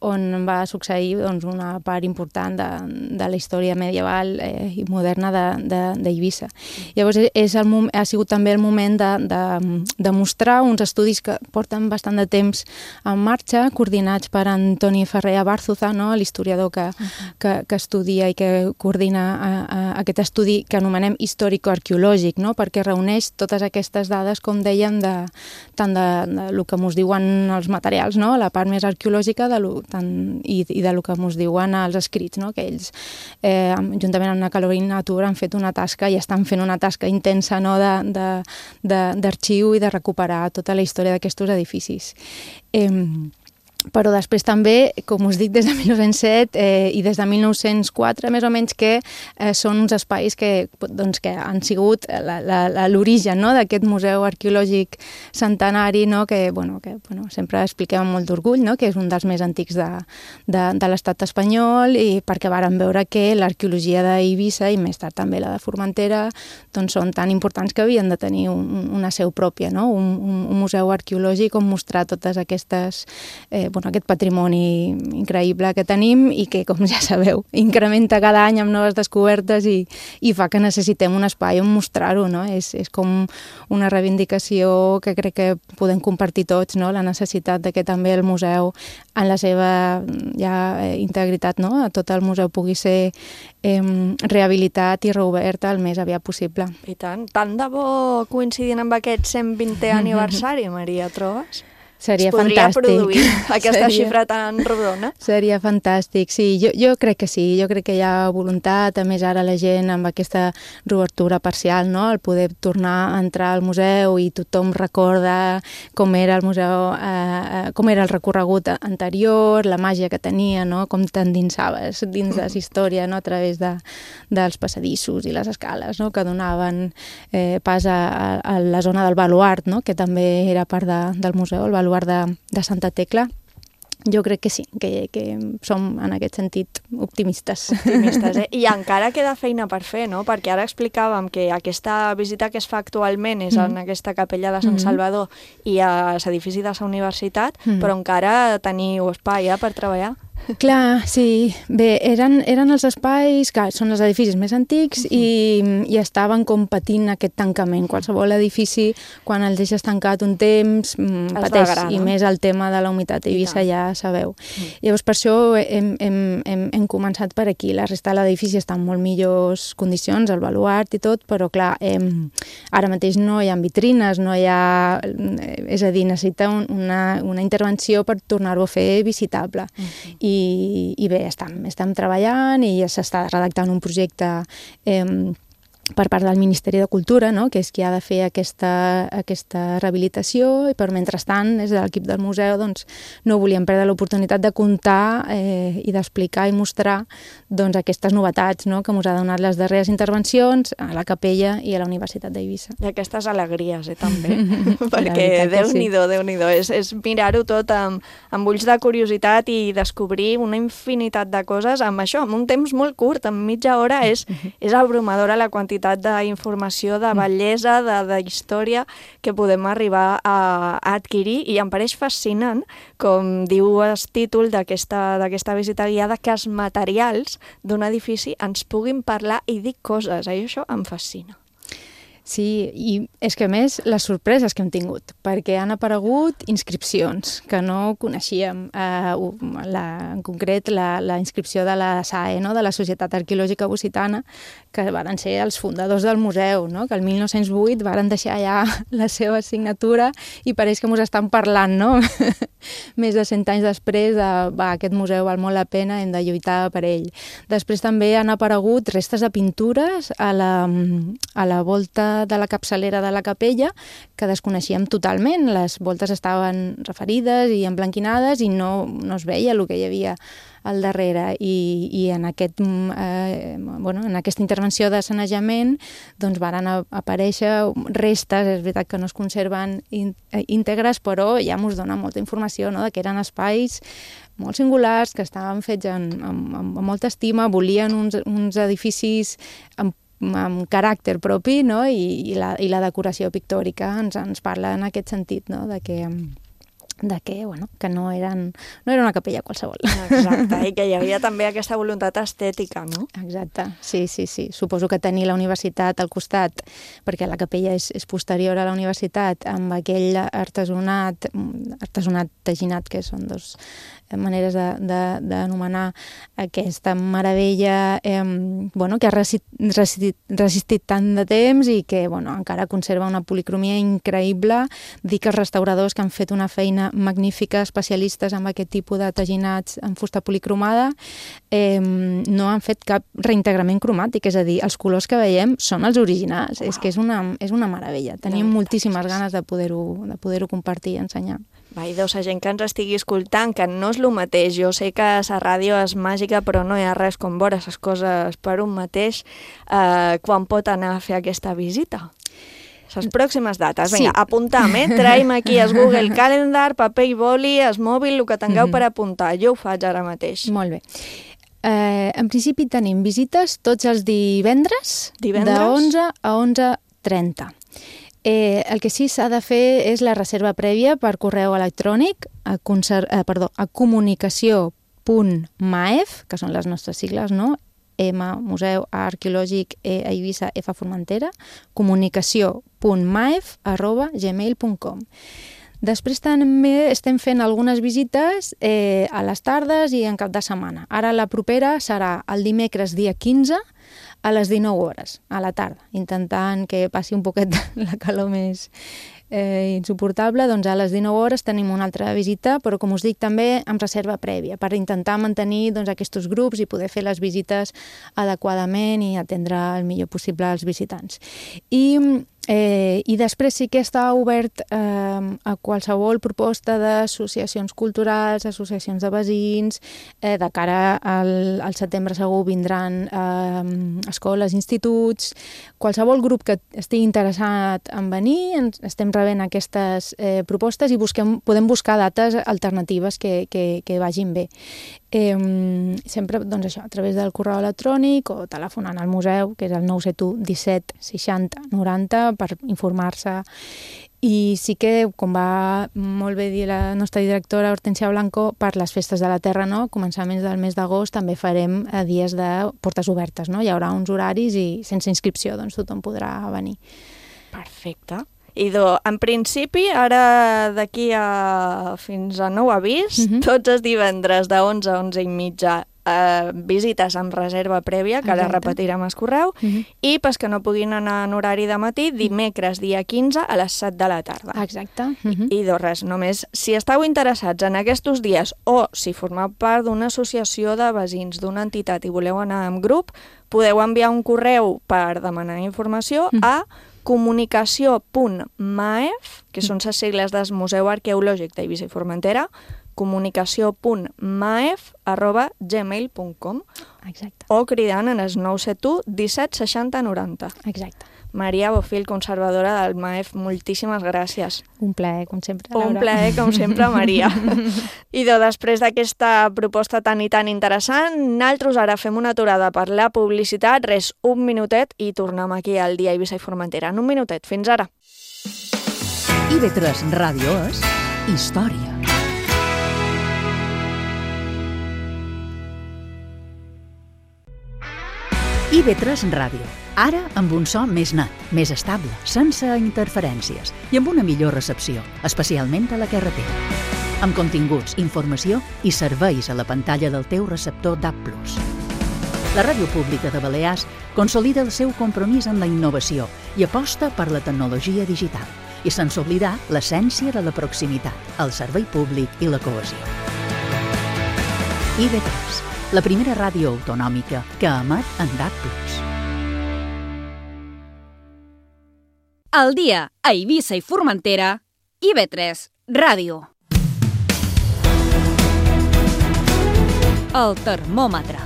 on va succeir doncs, una part important de, de la història medieval eh, i moderna d'Eivissa. Llavors és el, ha sigut també el moment de, de, de mostrar uns estudis que porten bastant de temps en marxa, coordinats per Antoni Ferrer Bárzuza, no? l'historiador que, uh-huh. que, que estudia i que coordina a, a, aquest estudi que anomenem històrico-arqueològic, no? perquè reuneix totes aquestes dades, com dèiem, de, tant de, de lo que ens diuen els materials, no? la part més arqueològica de lo, tant, i, i de lo que ens diuen els escrits, no? que ells, eh, juntament amb la Carolina Natura, han fet una tasca i estan fent una tasca intensa, no? d'arxiu i de recuperar tota la història d'aquests edificis. Eh, però després també, com us dic, des de mil nou-cents set eh, i des de mil nou-cents quatre, més o menys, que eh, són uns espais que, doncs, que han sigut l'origen, no?, d'aquest museu arqueològic centenari, no?, que, bueno, que bueno, sempre expliquem amb molt d'orgull, no?, que és un dels més antics de, de, de l'estat espanyol, i perquè vàrem veure que l'arqueologia d'Eivissa i més tard també la de Formentera doncs són tan importants que havien de tenir un, una seu pròpia, no?, un, un, un museu arqueològic on mostrar totes aquestes eh, bueno, aquest patrimoni increïble que tenim i que, com ja sabeu, incrementa cada any amb noves descobertes i, i fa que necessitem un espai on mostrar-ho, no? És, és com una reivindicació que crec que podem compartir tots, no? La necessitat de que també el museu, en la seva ja integritat, no?, a tot el museu pugui ser eh, rehabilitat i reobert el més aviat possible. I tant, tant de bo coincidint amb aquest cent vintè aniversari, Maria, trobes? Seria es podria fantàstic. produir aquesta Seria... xifra tan rodona? Seria fantàstic, sí, jo, jo crec que sí, jo crec que hi ha voluntat, a més ara la gent amb aquesta reobertura parcial, no?, el poder tornar a entrar al museu i tothom recorda com era el museu, eh, com era el recorregut anterior, la màgia que tenia, no?, com t'endinsaves dins de la història, no?, a través de, dels passadissos i les escales, no?, que donaven eh, pas a, a la zona del baluart, no?, que també era part de, del museu, el baluart de, de Santa Tecla. Jo crec que sí, que, que som en aquest sentit optimistes. Optimistes, eh? I encara queda feina per fer, no? Perquè ara explicàvem que aquesta visita que es fa actualment és en aquesta capella de Sant Salvador i a l'edifici de la universitat, Mm. però encara teniu espai eh, per treballar. Clar, sí. Bé, eren, eren els espais, que són els edificis més antics, uh-huh. i, i estaven com patint aquest tancament. Qualsevol edifici, quan el deixes tancat un temps, mm, pateix, degrada. I més el tema de la humitat a Eivissa, ja sabeu. Uh-huh. Llavors, per això hem, hem, hem, hem començat per aquí. La resta de l'edifici està en molt millors condicions, el baluart i tot, però clar, hem, ara mateix no hi ha vitrines, no hi ha... És a dir, necessita un, una, una intervenció per tornar-ho a fer visitable. Uh-huh. I, i bé, estem, estem treballant i ja s'està redactant un projecte eh, per part del Ministeri de Cultura, no?, que és qui ha de fer aquesta, aquesta rehabilitació, i per mentrestant, des de l'equip del museu, doncs, no volíem perdre l'oportunitat de contar eh, i d'explicar i mostrar doncs, aquestes novetats, no?, que ens ha donat les darreres intervencions a la capella i a la Universitat d'Eivissa. I aquestes alegries, eh, també, perquè Déu-n'hi-do, sí. Déu-n'hi-do, és, és mirar-ho tot amb, amb ulls de curiositat i descobrir una infinitat de coses amb això, amb un temps molt curt, en mitja hora, és, és abrumadora la quantitat d'informació, de bellesa, de, de història que podem arribar a, a adquirir, i em pareix fascinant, com diu el títol d'aquesta d'aquesta visita guiada, que els materials d'un edifici ens puguin parlar i dir coses. A això em fascina. Sí, i és que a més les sorpreses que hem tingut, perquè han aparegut inscripcions que no coneixíem, eh, la, en concret la, la inscripció de la S A E, no?, de la Societat Arqueològica Occitana, que van ser els fundadors del museu, no?, que el mil nou-cents vuit van deixar ja la seva signatura i pareix que ens estan parlant, no? Més de cent anys després de, va, aquest museu val molt la pena, hem de lluitar per ell. Després també han aparegut restes de pintures a la, a la volta de la capçalera de la capella, que desconeixíem totalment. Les voltes estaven referides i emblanquinades i no, no es veia el que hi havia al darrere, i, i en, aquest, eh, bueno, en aquesta intervenció de sanejament doncs varen aparèixer restes, és veritat que no es conserven íntegres, però ja ens dona molta informació, no?, de que eren espais molt singulars, que estaven fets amb, amb, amb molta estima, volien uns, uns edificis amb amb caràcter propi, no?, i, i, la, i la decoració pictòrica ens, ens parla en aquest sentit, no?, de que, de que, bueno, que no, eren, no era una capella qualsevol. Exacte, i que hi havia també aquesta voluntat estètica, no? Exacte, sí, sí, sí. Suposo que tenir la universitat al costat, perquè la capella és, és posterior a la universitat, amb aquell artesonat, artesonat teginat, que són dos maneres d'anomenar aquesta meravella eh, bueno, que ha resistit, resistit, resistit tant de temps i que bueno, encara conserva una policromia increïble. Dic que els restauradors que han fet una feina magnífics especialistes en aquest tipus de teginats en fusta policromada, eh, no han fet cap reintegrament cromàtic, és a dir, els colors que veiem són els originals. Wow. És que és una, és una meravella. Tenim moltíssimes ganes de poder-ho de poder-ho compartir i ensenyar. Va, i deus a gent que ens estigui escoltant, que no és el mateix. Jo sé que la ràdio és màgica, però no hi ha res com veure les coses per un mateix. Eh, quan pot anar a fer aquesta visita? Les pròximes dates. Vinga, sí. Apuntam, eh? Traiem aquí el Google Calendar, paper i boli, el mòbil, el que tingueu mm-hmm. per apuntar. Jo ho faig ara mateix. Molt bé. Eh, en principi tenim visites tots els divendres, divendres? de onze a onze trenta. Eh, el que sí s'ha de fer és la reserva prèvia per correu electrònic a, conser- eh, perdó, a comunicació punt maef, que són les nostres sigles, no? M, Museu Arqueològic, E, Eivissa, F, Formentera, comunicació punt maef arroba gmail punt com. Després també estem fent algunes visites eh, a les tardes i en cap de setmana. Ara la propera serà el dimecres dia quinze a les dinou hores, a la tarda, intentant que passi un poquet la calor més eh, insuportable. Doncs a les dinou hores tenim una altra visita, però com us dic també amb reserva prèvia, per intentar mantenir doncs, aquests grups i poder fer les visites adequadament i atendre el millor possible als visitants. I Eh, I després sí que està obert eh, a qualsevol proposta d'associacions culturals, associacions de veïns, eh, de cara al, al setembre segur vindran eh, escoles, instituts, qualsevol grup que estigui interessat en venir, ens, estem rebent aquestes eh, propostes i busquem, podem buscar dates alternatives que, que, que vagin bé. Eh, sempre doncs això, a través del correu electrònic o telefonant al museu, que és el nou set u disset seixanta noranta, per informar-se. I sí que, com va molt bé dir la nostra directora Hortència Blanco, per les festes de la Terra, no? Començaments del mes d'agost també farem dies de portes obertes, no? Hi haurà uns horaris i sense inscripció, doncs tothom podrà venir. Perfecte. I do, en principi, ara d'aquí a fins a nou avís, mm-hmm. tots els divendres de onze a onze i mitja eh, visites amb reserva prèvia, que ara repetirem el correu, mm-hmm. i pels que no puguin anar en horari de matí, dimecres dia quinze a les set de la tarda. Exacte. Mm-hmm. I, i do res, només si esteu interessats en aquests dies o si formeu part d'una associació de veïns, d'una entitat i voleu anar en grup, podeu enviar un correu per demanar informació mm. a comunicació punt maef, que són les sigles del Museu Arqueològic d'Eivissa i Formentera, comunicació punt maef arroba gmail punt com. Exacte. O cridant en el nou set u disset seixanta noranta. Exacte. Maria Bofill, conservadora del Maef, moltíssimes gràcies. Un plaer, com sempre, Laura. Un plaer, com sempre, Maria. I de, després d'aquesta proposta tan i tan interessant, nosaltres ara fem una aturada per la publicitat, res, un minutet, i tornem aquí al dia Eivissa i Formentera. En un minutet, fins ara. I ve tres Ràdio és història. I ve tres Ràdio. Ara amb un so més net, més estable, sense interferències i amb una millor recepció, especialment a la carretera. Amb continguts, informació i serveis a la pantalla del teu receptor D A B plus. La Ràdio Pública de Balears consolida el seu compromís amb la innovació i aposta per la tecnologia digital i sense oblidar l'essència de la proximitat, el servei públic i la cohesió. I ve tres, la primera ràdio autonòmica que emet en D A B plus. Al dia a Eivissa i Formentera, I ve tres Ràdio. El termòmetre.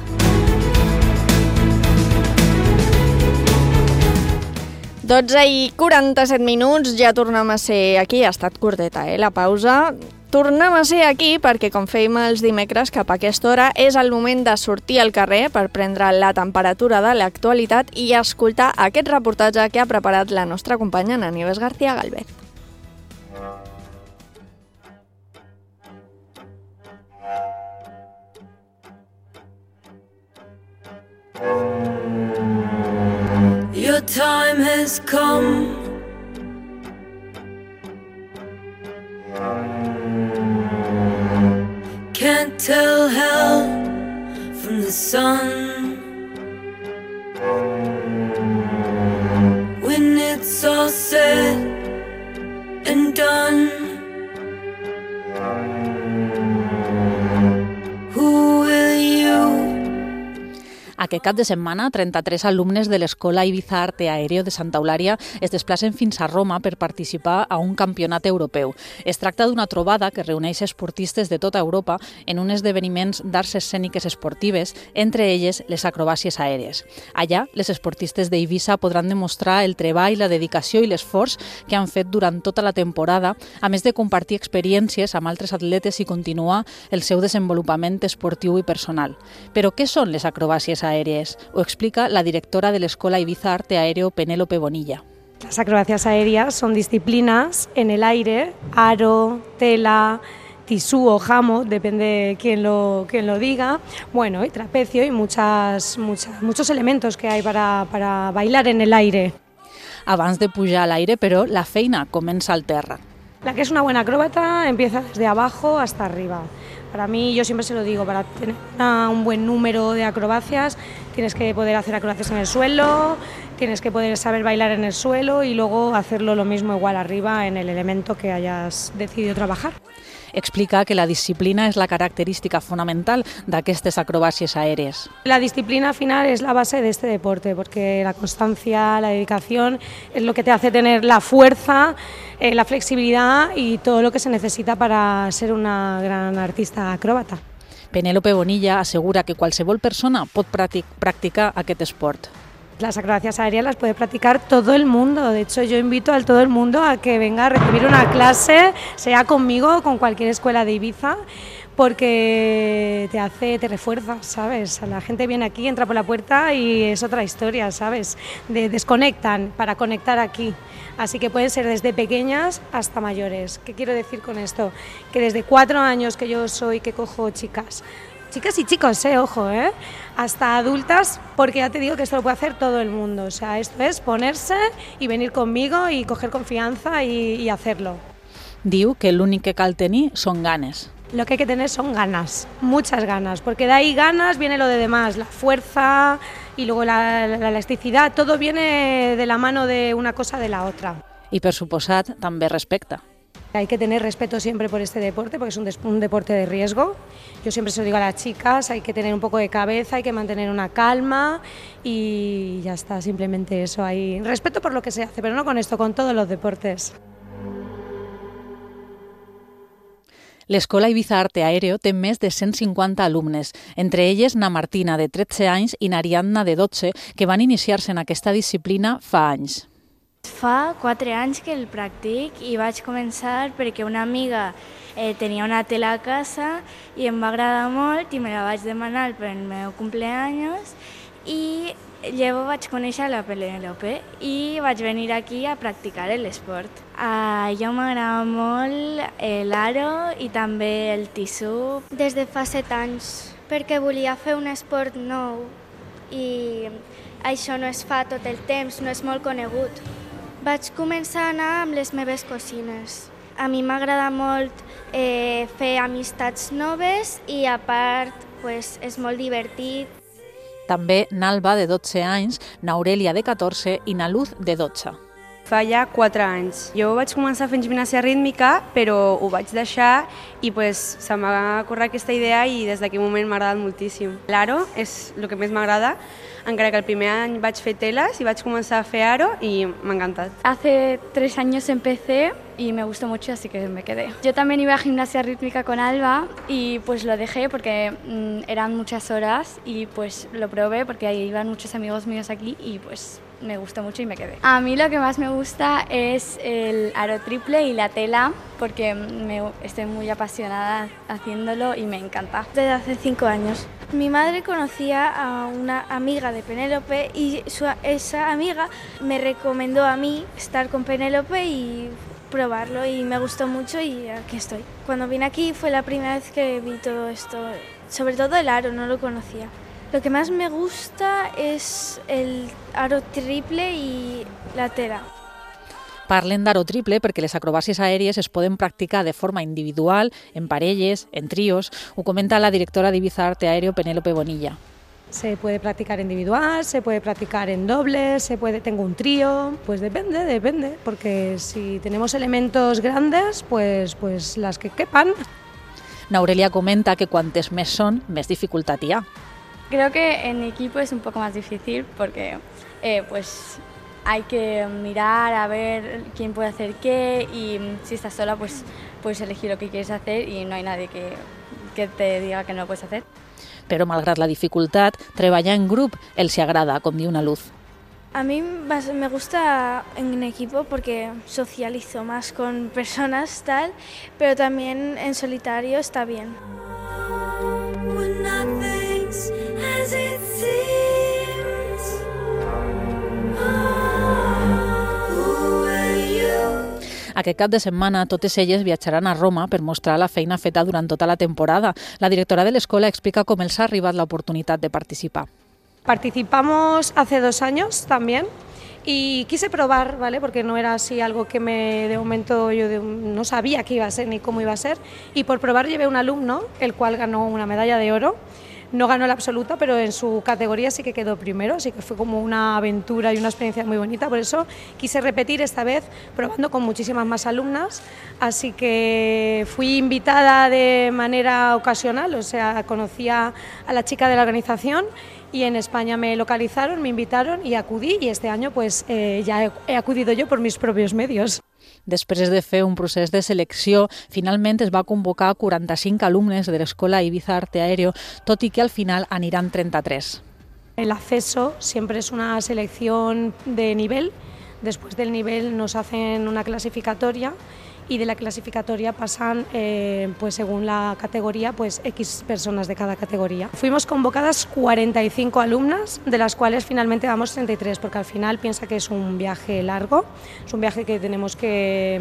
dotze i quaranta-set minuts, ja tornem a ser aquí. Ha estat curteta, eh, la pausa. Tornem a ser aquí perquè, com fèiem els dimecres cap a aquesta hora, és el moment de sortir al carrer per prendre la temperatura de l'actualitat i escoltar aquest reportatge que ha preparat la nostra companya Ana Nieves García Galvez. Your time has come. Can't tell hell from the sun. When it's all said and done, Aquest cap de setmana, trenta-tres alumnes de l'Escola Ibiza Arte Aéreo de Santa Eulària es desplacen fins a Roma per participar a un campionat europeu. Es tracta d'una trobada que reuneix esportistes de tota Europa en un esdeveniment d'arts escèniques esportives, entre elles les acrobàcies aèries. Allà, les esportistes d'Eivissa podran demostrar el treball, la dedicació i l'esforç que han fet durant tota la temporada, a més de compartir experiències amb altres atletes i continuar el seu desenvolupament esportiu i personal. Però què són les acrobàcies aèries? Ho explica la directora de l'Escola Ibiza Arte Aéreo, Penélope Bonilla. Las acrobacias aéreas son disciplinas en el aire, aro, tela, tisú o jamo, depende quién lo, quién lo diga, bueno, y trapecio y muchas, muchas, muchos elementos que hay para, para bailar en el aire. Abans de pujar a l'aire, però, la feina comença al terra. La que es una buena acróbata empieza desde abajo hasta arriba. Para mí, yo siempre se lo digo, para tener una, un buen número de acrobacias tienes que poder hacer acrobacias en el suelo, tienes que poder saber bailar en el suelo y luego hacerlo lo mismo igual arriba en el elemento que hayas decidido trabajar. Explica que la disciplina és la característica fonamental d'aquestes acrobàcies aèries. La disciplina final es la base de este deporte, porque la constancia, la dedicación es lo que te hace tener la fuerza, eh, la flexibilidad y todo lo que se necesita para ser una gran artista acróbata. Penélope Bonilla assegura que qualsevol persona pot practicar aquest esport. Las acrobacias aéreas las puede practicar todo el mundo. De hecho, yo invito a todo el mundo a que venga a recibir una clase, sea conmigo o con cualquier escuela de Ibiza, porque te hace, te refuerza, ¿sabes? La gente viene aquí, entra por la puerta y es otra historia, ¿sabes? De, desconectan para conectar aquí. Así que pueden ser desde pequeñas hasta mayores. ¿Qué quiero decir con esto? Que desde cuatro años que yo soy, que cojo chicas, chicas y chicos, eh, ojo, eh, hasta adultas, porque ya te digo que esto lo puede hacer todo el mundo. O sea, esto es ponerse y venir conmigo y coger confianza y, y hacerlo. Diu que l'únic que cal tenir són ganes. Lo que hay que tener son ganas, muchas ganas, porque de ahí ganas viene lo de demás, la fuerza y luego la, la, la elasticidad, todo viene de la mano de una cosa de la otra. I per suposat també respecte. Hay que tener respeto siempre por este deporte porque es un, un deporte de riesgo. Yo siempre se lo digo a las chicas, hay que tener un poco de cabeza, hay que mantener una calma y ya está, simplemente eso. Hay respeto por lo que se hace, pero no con esto, con todos los deportes. L'Escola Ibiza Arte Aéreo té més de cent cinquanta alumnes, entre elles na Martina, de tretze anys, i na Ariadna, de dotze, que van iniciar-se en aquesta disciplina fa anys. Fa quatre anys que el practic i vaig començar perquè una amiga eh, tenia una tela a casa i em va agradar molt i me la vaig demanar per el meu cumpleaños i llavors vaig conèixer la Penélope i vaig venir aquí a practicar l'esport. A jo m'agrada molt l'aro i també el tisú. Des de fa set anys, perquè volia fer un esport nou i això no es fa tot el temps, no és molt conegut. Vaig començar a anar amb les meves cosines. A mi m'agrada molt eh, fer amistats noves i a part pues, és molt divertit. També n'Alba, de dotze anys, n'Aurèlia, de catorze i na Luz, de dotze. Fa ja quatre anys. Jo vaig començar fent gimnàsia rítmica, però ho vaig deixar i pues, se m'ha corregut aquesta idea i des d'aquell moment m'ha agradat moltíssim. L'aro és el que més m'agrada, encara que el primer any vaig fer teles i vaig començar a fer aro y me ha encantado. Hace tres años empecé y me gustó mucho, así que me quedé. Yo también iba a gimnasia rítmica con Alba y pues lo dejé porque mmm, eran muchas horas y pues lo probé porque ahí iban muchos amigos míos aquí y pues me gustó mucho y me quedé. A mí lo que más me gusta es el aro triple y la tela porque me, estoy muy apasionada haciéndolo y me encanta. Desde hace cinco años. Mi madre conocía a una amiga de Penélope y su, esa amiga me recomendó a mí estar con Penélope y probarlo y me gustó mucho y aquí estoy. Cuando vine aquí fue la primera vez que vi todo esto, sobre todo el aro, no lo conocía. Lo que más me gusta es el aro triple y la tela. Parlen d'aro triple perquè les acrobàcies aèries es poden practicar de forma individual, en parelles, en tríos. Ho comenta la directora d'Ibiza Arte Aéreo, Penélope Bonilla. Se puede practicar individual, se puede practicar en dobles, se puede, tengo un trío, pues depende, depende, porque si tenemos elementos grandes, pues, pues las que quepan. N'Aurèlia comenta que quantes més són, més dificultat hi ha. Creo que en equipo es un poco más difícil porque eh, pues hay que mirar a ver quién puede hacer qué y si estás sola pues puedes elegir lo que quieres hacer y no hay nadie que, que te diga que no lo puedes hacer. Però, malgrat la dificultat, treballar en grup els agrada, com diu una Luz. A mí me gusta en equipo porque socializo más con personas tal, pero también en solitario está bien. Aquest cap de setmana totes elles viatjaran a Roma per mostrar la feina feta durant tota la temporada. La directora de l'escola explica com els ha arribat l'oportunitat de participar. Participamos hace dos años también y quise probar, ¿vale? Porque no era así algo que me, de momento yo de, no sabía qué iba a ser ni cómo iba a ser, y por probar llevé un alumno, el cual ganó una medalla de oro. No ganó la absoluta, pero en su categoría sí que quedó primero, así que fue como una aventura y una experiencia muy bonita. Por eso quise repetir esta vez, probando con muchísimas más alumnas. Así que fui invitada de manera ocasional, o sea, conocía a la chica de la organización y en España me localizaron, me invitaron y acudí, y este año pues eh, ya he, he acudido yo por mis propios medios. Després de fer un procés de selecció, finalment es va convocar quaranta-cinc alumnes de l'Escola Ibiza Arte Aéreo, tot i que al final aniran trenta-tres. El acceso siempre es una selección de nivel. Después del nivel nos hacen una clasificatoria y de la clasificatoria pasan, eh, pues según la categoría, pues X personas de cada categoría. Fuimos convocadas cuarenta y cinco alumnas, de las cuales finalmente vamos treinta y tres, porque al final piensa que es un viaje largo, es un viaje que tenemos que,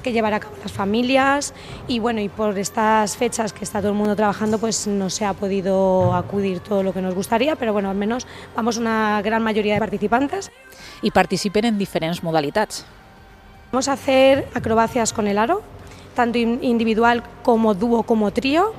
que llevar a cabo las familias, y bueno, y por estas fechas que está todo el mundo trabajando, pues no se ha podido acudir todo lo que nos gustaría, pero bueno, al menos vamos una gran mayoría de participantes. I participen en diferents modalitats. Vamos a hacer acrobacias con el aro, tanto individual como dúo como trío.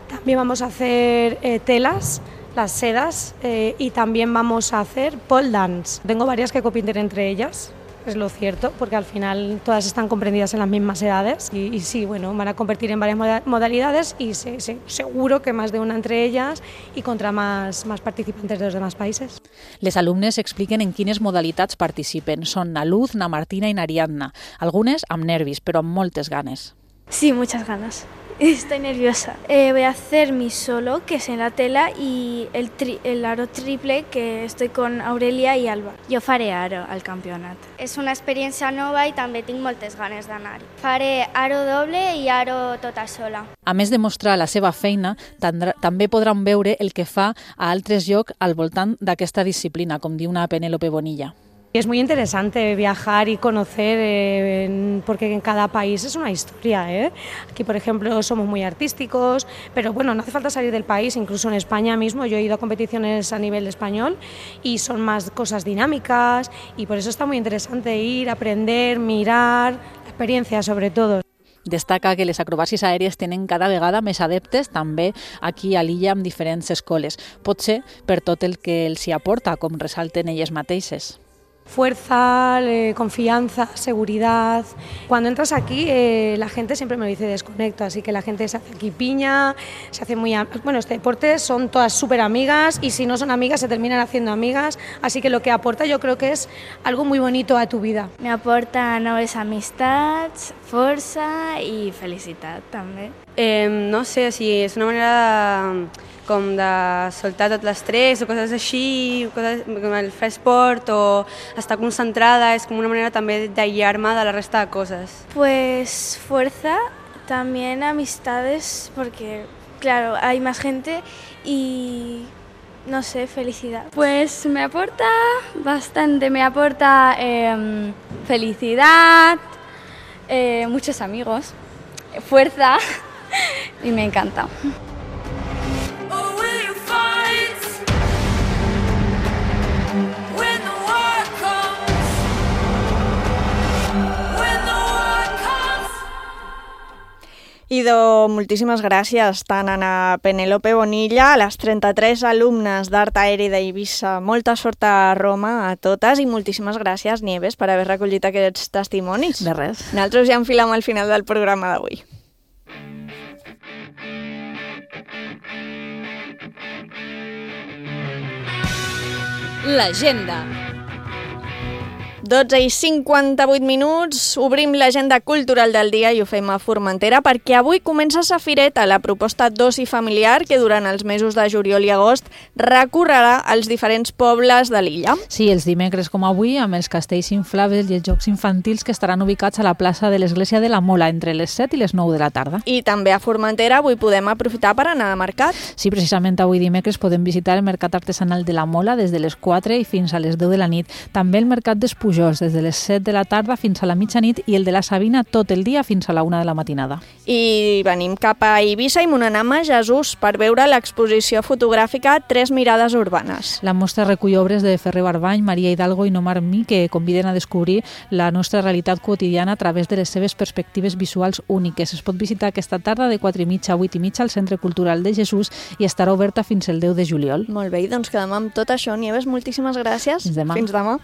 También vamos a hacer eh, telas, las sedas, eh, y también vamos a hacer pole dance. Tengo varias que compiten entre ellas, es lo cierto, porque al final todas están comprendidas en las mismas edades y, y sí, bueno, van a competir en varias modalidades y se, se, seguro que más de una entre ellas y contra más, más participantes de los demás países. Les alumnes expliquen en quines modalitats participen. Són na Luz, na Martina i na Ariadna. Algunes amb nervis, però amb moltes ganes. Sí, muchas ganas. Estoy nerviosa. Eh, voy a hacer mi solo, que es en la tela, y el, tri el aro triple, que estoy con Aurelia i Alba. Jo faré aro al campionat. És una experiència nova i també tinc moltes ganes d'anar-hi. Faré aro doble i aro tota sola. A més de mostrar la seva feina, també podran veure el que fa a altres llocs al voltant d'aquesta disciplina, com diu una Penélope Bonilla. Es muy interesante viajar y conocer, eh, en, porque en cada país es una historia, ¿eh? Aquí, por ejemplo, somos muy artísticos, pero bueno, no hace falta salir del país. Incluso en España mismo yo he ido a competiciones a nivel español y son más cosas dinámicas, y por eso está muy interesante ir, aprender, mirar, la experiencia sobre todo. Destaca que les acrobàcies aèries tenen cada vegada més adeptes, també aquí a l'illa amb diferents escoles. Pot ser per tot el que els hi aporta, com ressalten elles mateixes. Fuerza, eh, confianza, seguridad. Cuando entras aquí, eh, la gente siempre me lo dice desconecto, así que la gente se hace aquí piña, se hace muy... Bueno, este deporte son todas súper amigas, y si no son amigas se terminan haciendo amigas, así que lo que aporta yo creo que es algo muy bonito a tu vida. Me aporta noves amistats, força i felicitat també. Eh, no sé, o sigui, és una manera de, com de soltar tot l'estrès o coses així, coses, com el fer esport o estar concentrada, és com una manera també d'aïllar-me de la resta de coses. Pues fuerza, también amistades, porque claro, hay más gente y no sé, felicidad. Pues me aporta bastante, me aporta eh, felicidad, eh, muchos amigos, fuerza y me encanta. Idò, moltíssimes gràcies tant a la Penélope Bonilla, a les trenta-tres alumnes d'Art Aeri d'Eivissa. Molta sort a Roma a totes i moltíssimes gràcies, Nieves, per haver recollit aquests testimonis. De res. Nosaltres ja enfilem al final del programa d'avui. l'agenda. dotze i cinquanta-vuit minuts, obrim l'agenda cultural del dia i ho fem a Formentera perquè avui comença Safireta, la proposta d'oci familiar que durant els mesos de juliol i agost recorrerà als diferents pobles de l'illa. Sí, els dimecres com avui, amb els castells inflables i els jocs infantils que estaran ubicats a la plaça de l'Església de la Mola entre les set i les nou de la tarda. I també a Formentera avui podem aprofitar per anar a mercat. Sí, precisament avui dimecres podem visitar el Mercat Artesanal de la Mola des de les quatre i fins a les deu de la nit. També el Mercat d'Espujol des de les set de la tarda fins a la mitjanit i el de la Sabina tot el dia fins a la una de la matinada. I venim cap a Eivissa i Monanam a Jesús per veure l'exposició fotogràfica Tres mirades urbanes. La mostra recull obres de Ferrer Barbany, Maria Hidalgo i Nomar Mi que conviden a descobrir la nostra realitat quotidiana a través de les seves perspectives visuals úniques. Es pot visitar aquesta tarda de quatre i mitja a vuit i mitja al Centre Cultural de Jesús i estarà oberta fins el deu de juliol. Molt bé, doncs quedem amb tot això. Nieves, moltíssimes gràcies. Fins demà. Fins demà.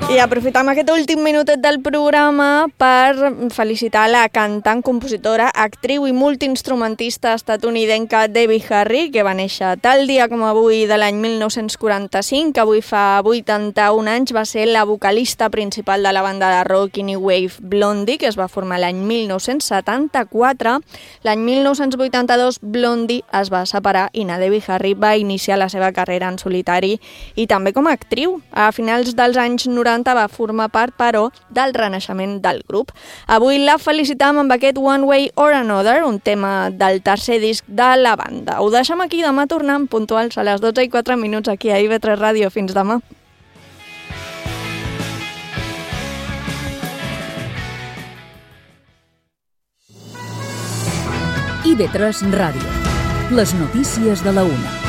I aprofitam aquest últim minutet del programa per felicitar la cantant, compositora, actriu i multiinstrumentista estatunidenca Debbie Harry, que va néixer tal dia com avui de l'any mil nou-cents quaranta-cinc, que avui fa vuitanta-un anys, va ser la vocalista principal de la banda de rock i new wave Blondie, que es va formar l'any mil nou-cents setanta-quatre. L'any mil nou-cents vuitanta-dos Blondie es va separar i na Debbie Harry va iniciar la seva carrera en solitari i també com a actriu. A finals dels anys noranta va formar part, però, del renaixement del grup. Avui la felicitam amb aquest One Way or Another, un tema del tercer disc de la banda. Ho deixem aquí, demà tornem puntuals a les dotze i quatre minuts aquí a I V tres Ràdio. Fins demà. I V tres Ràdio. Les notícies de la una.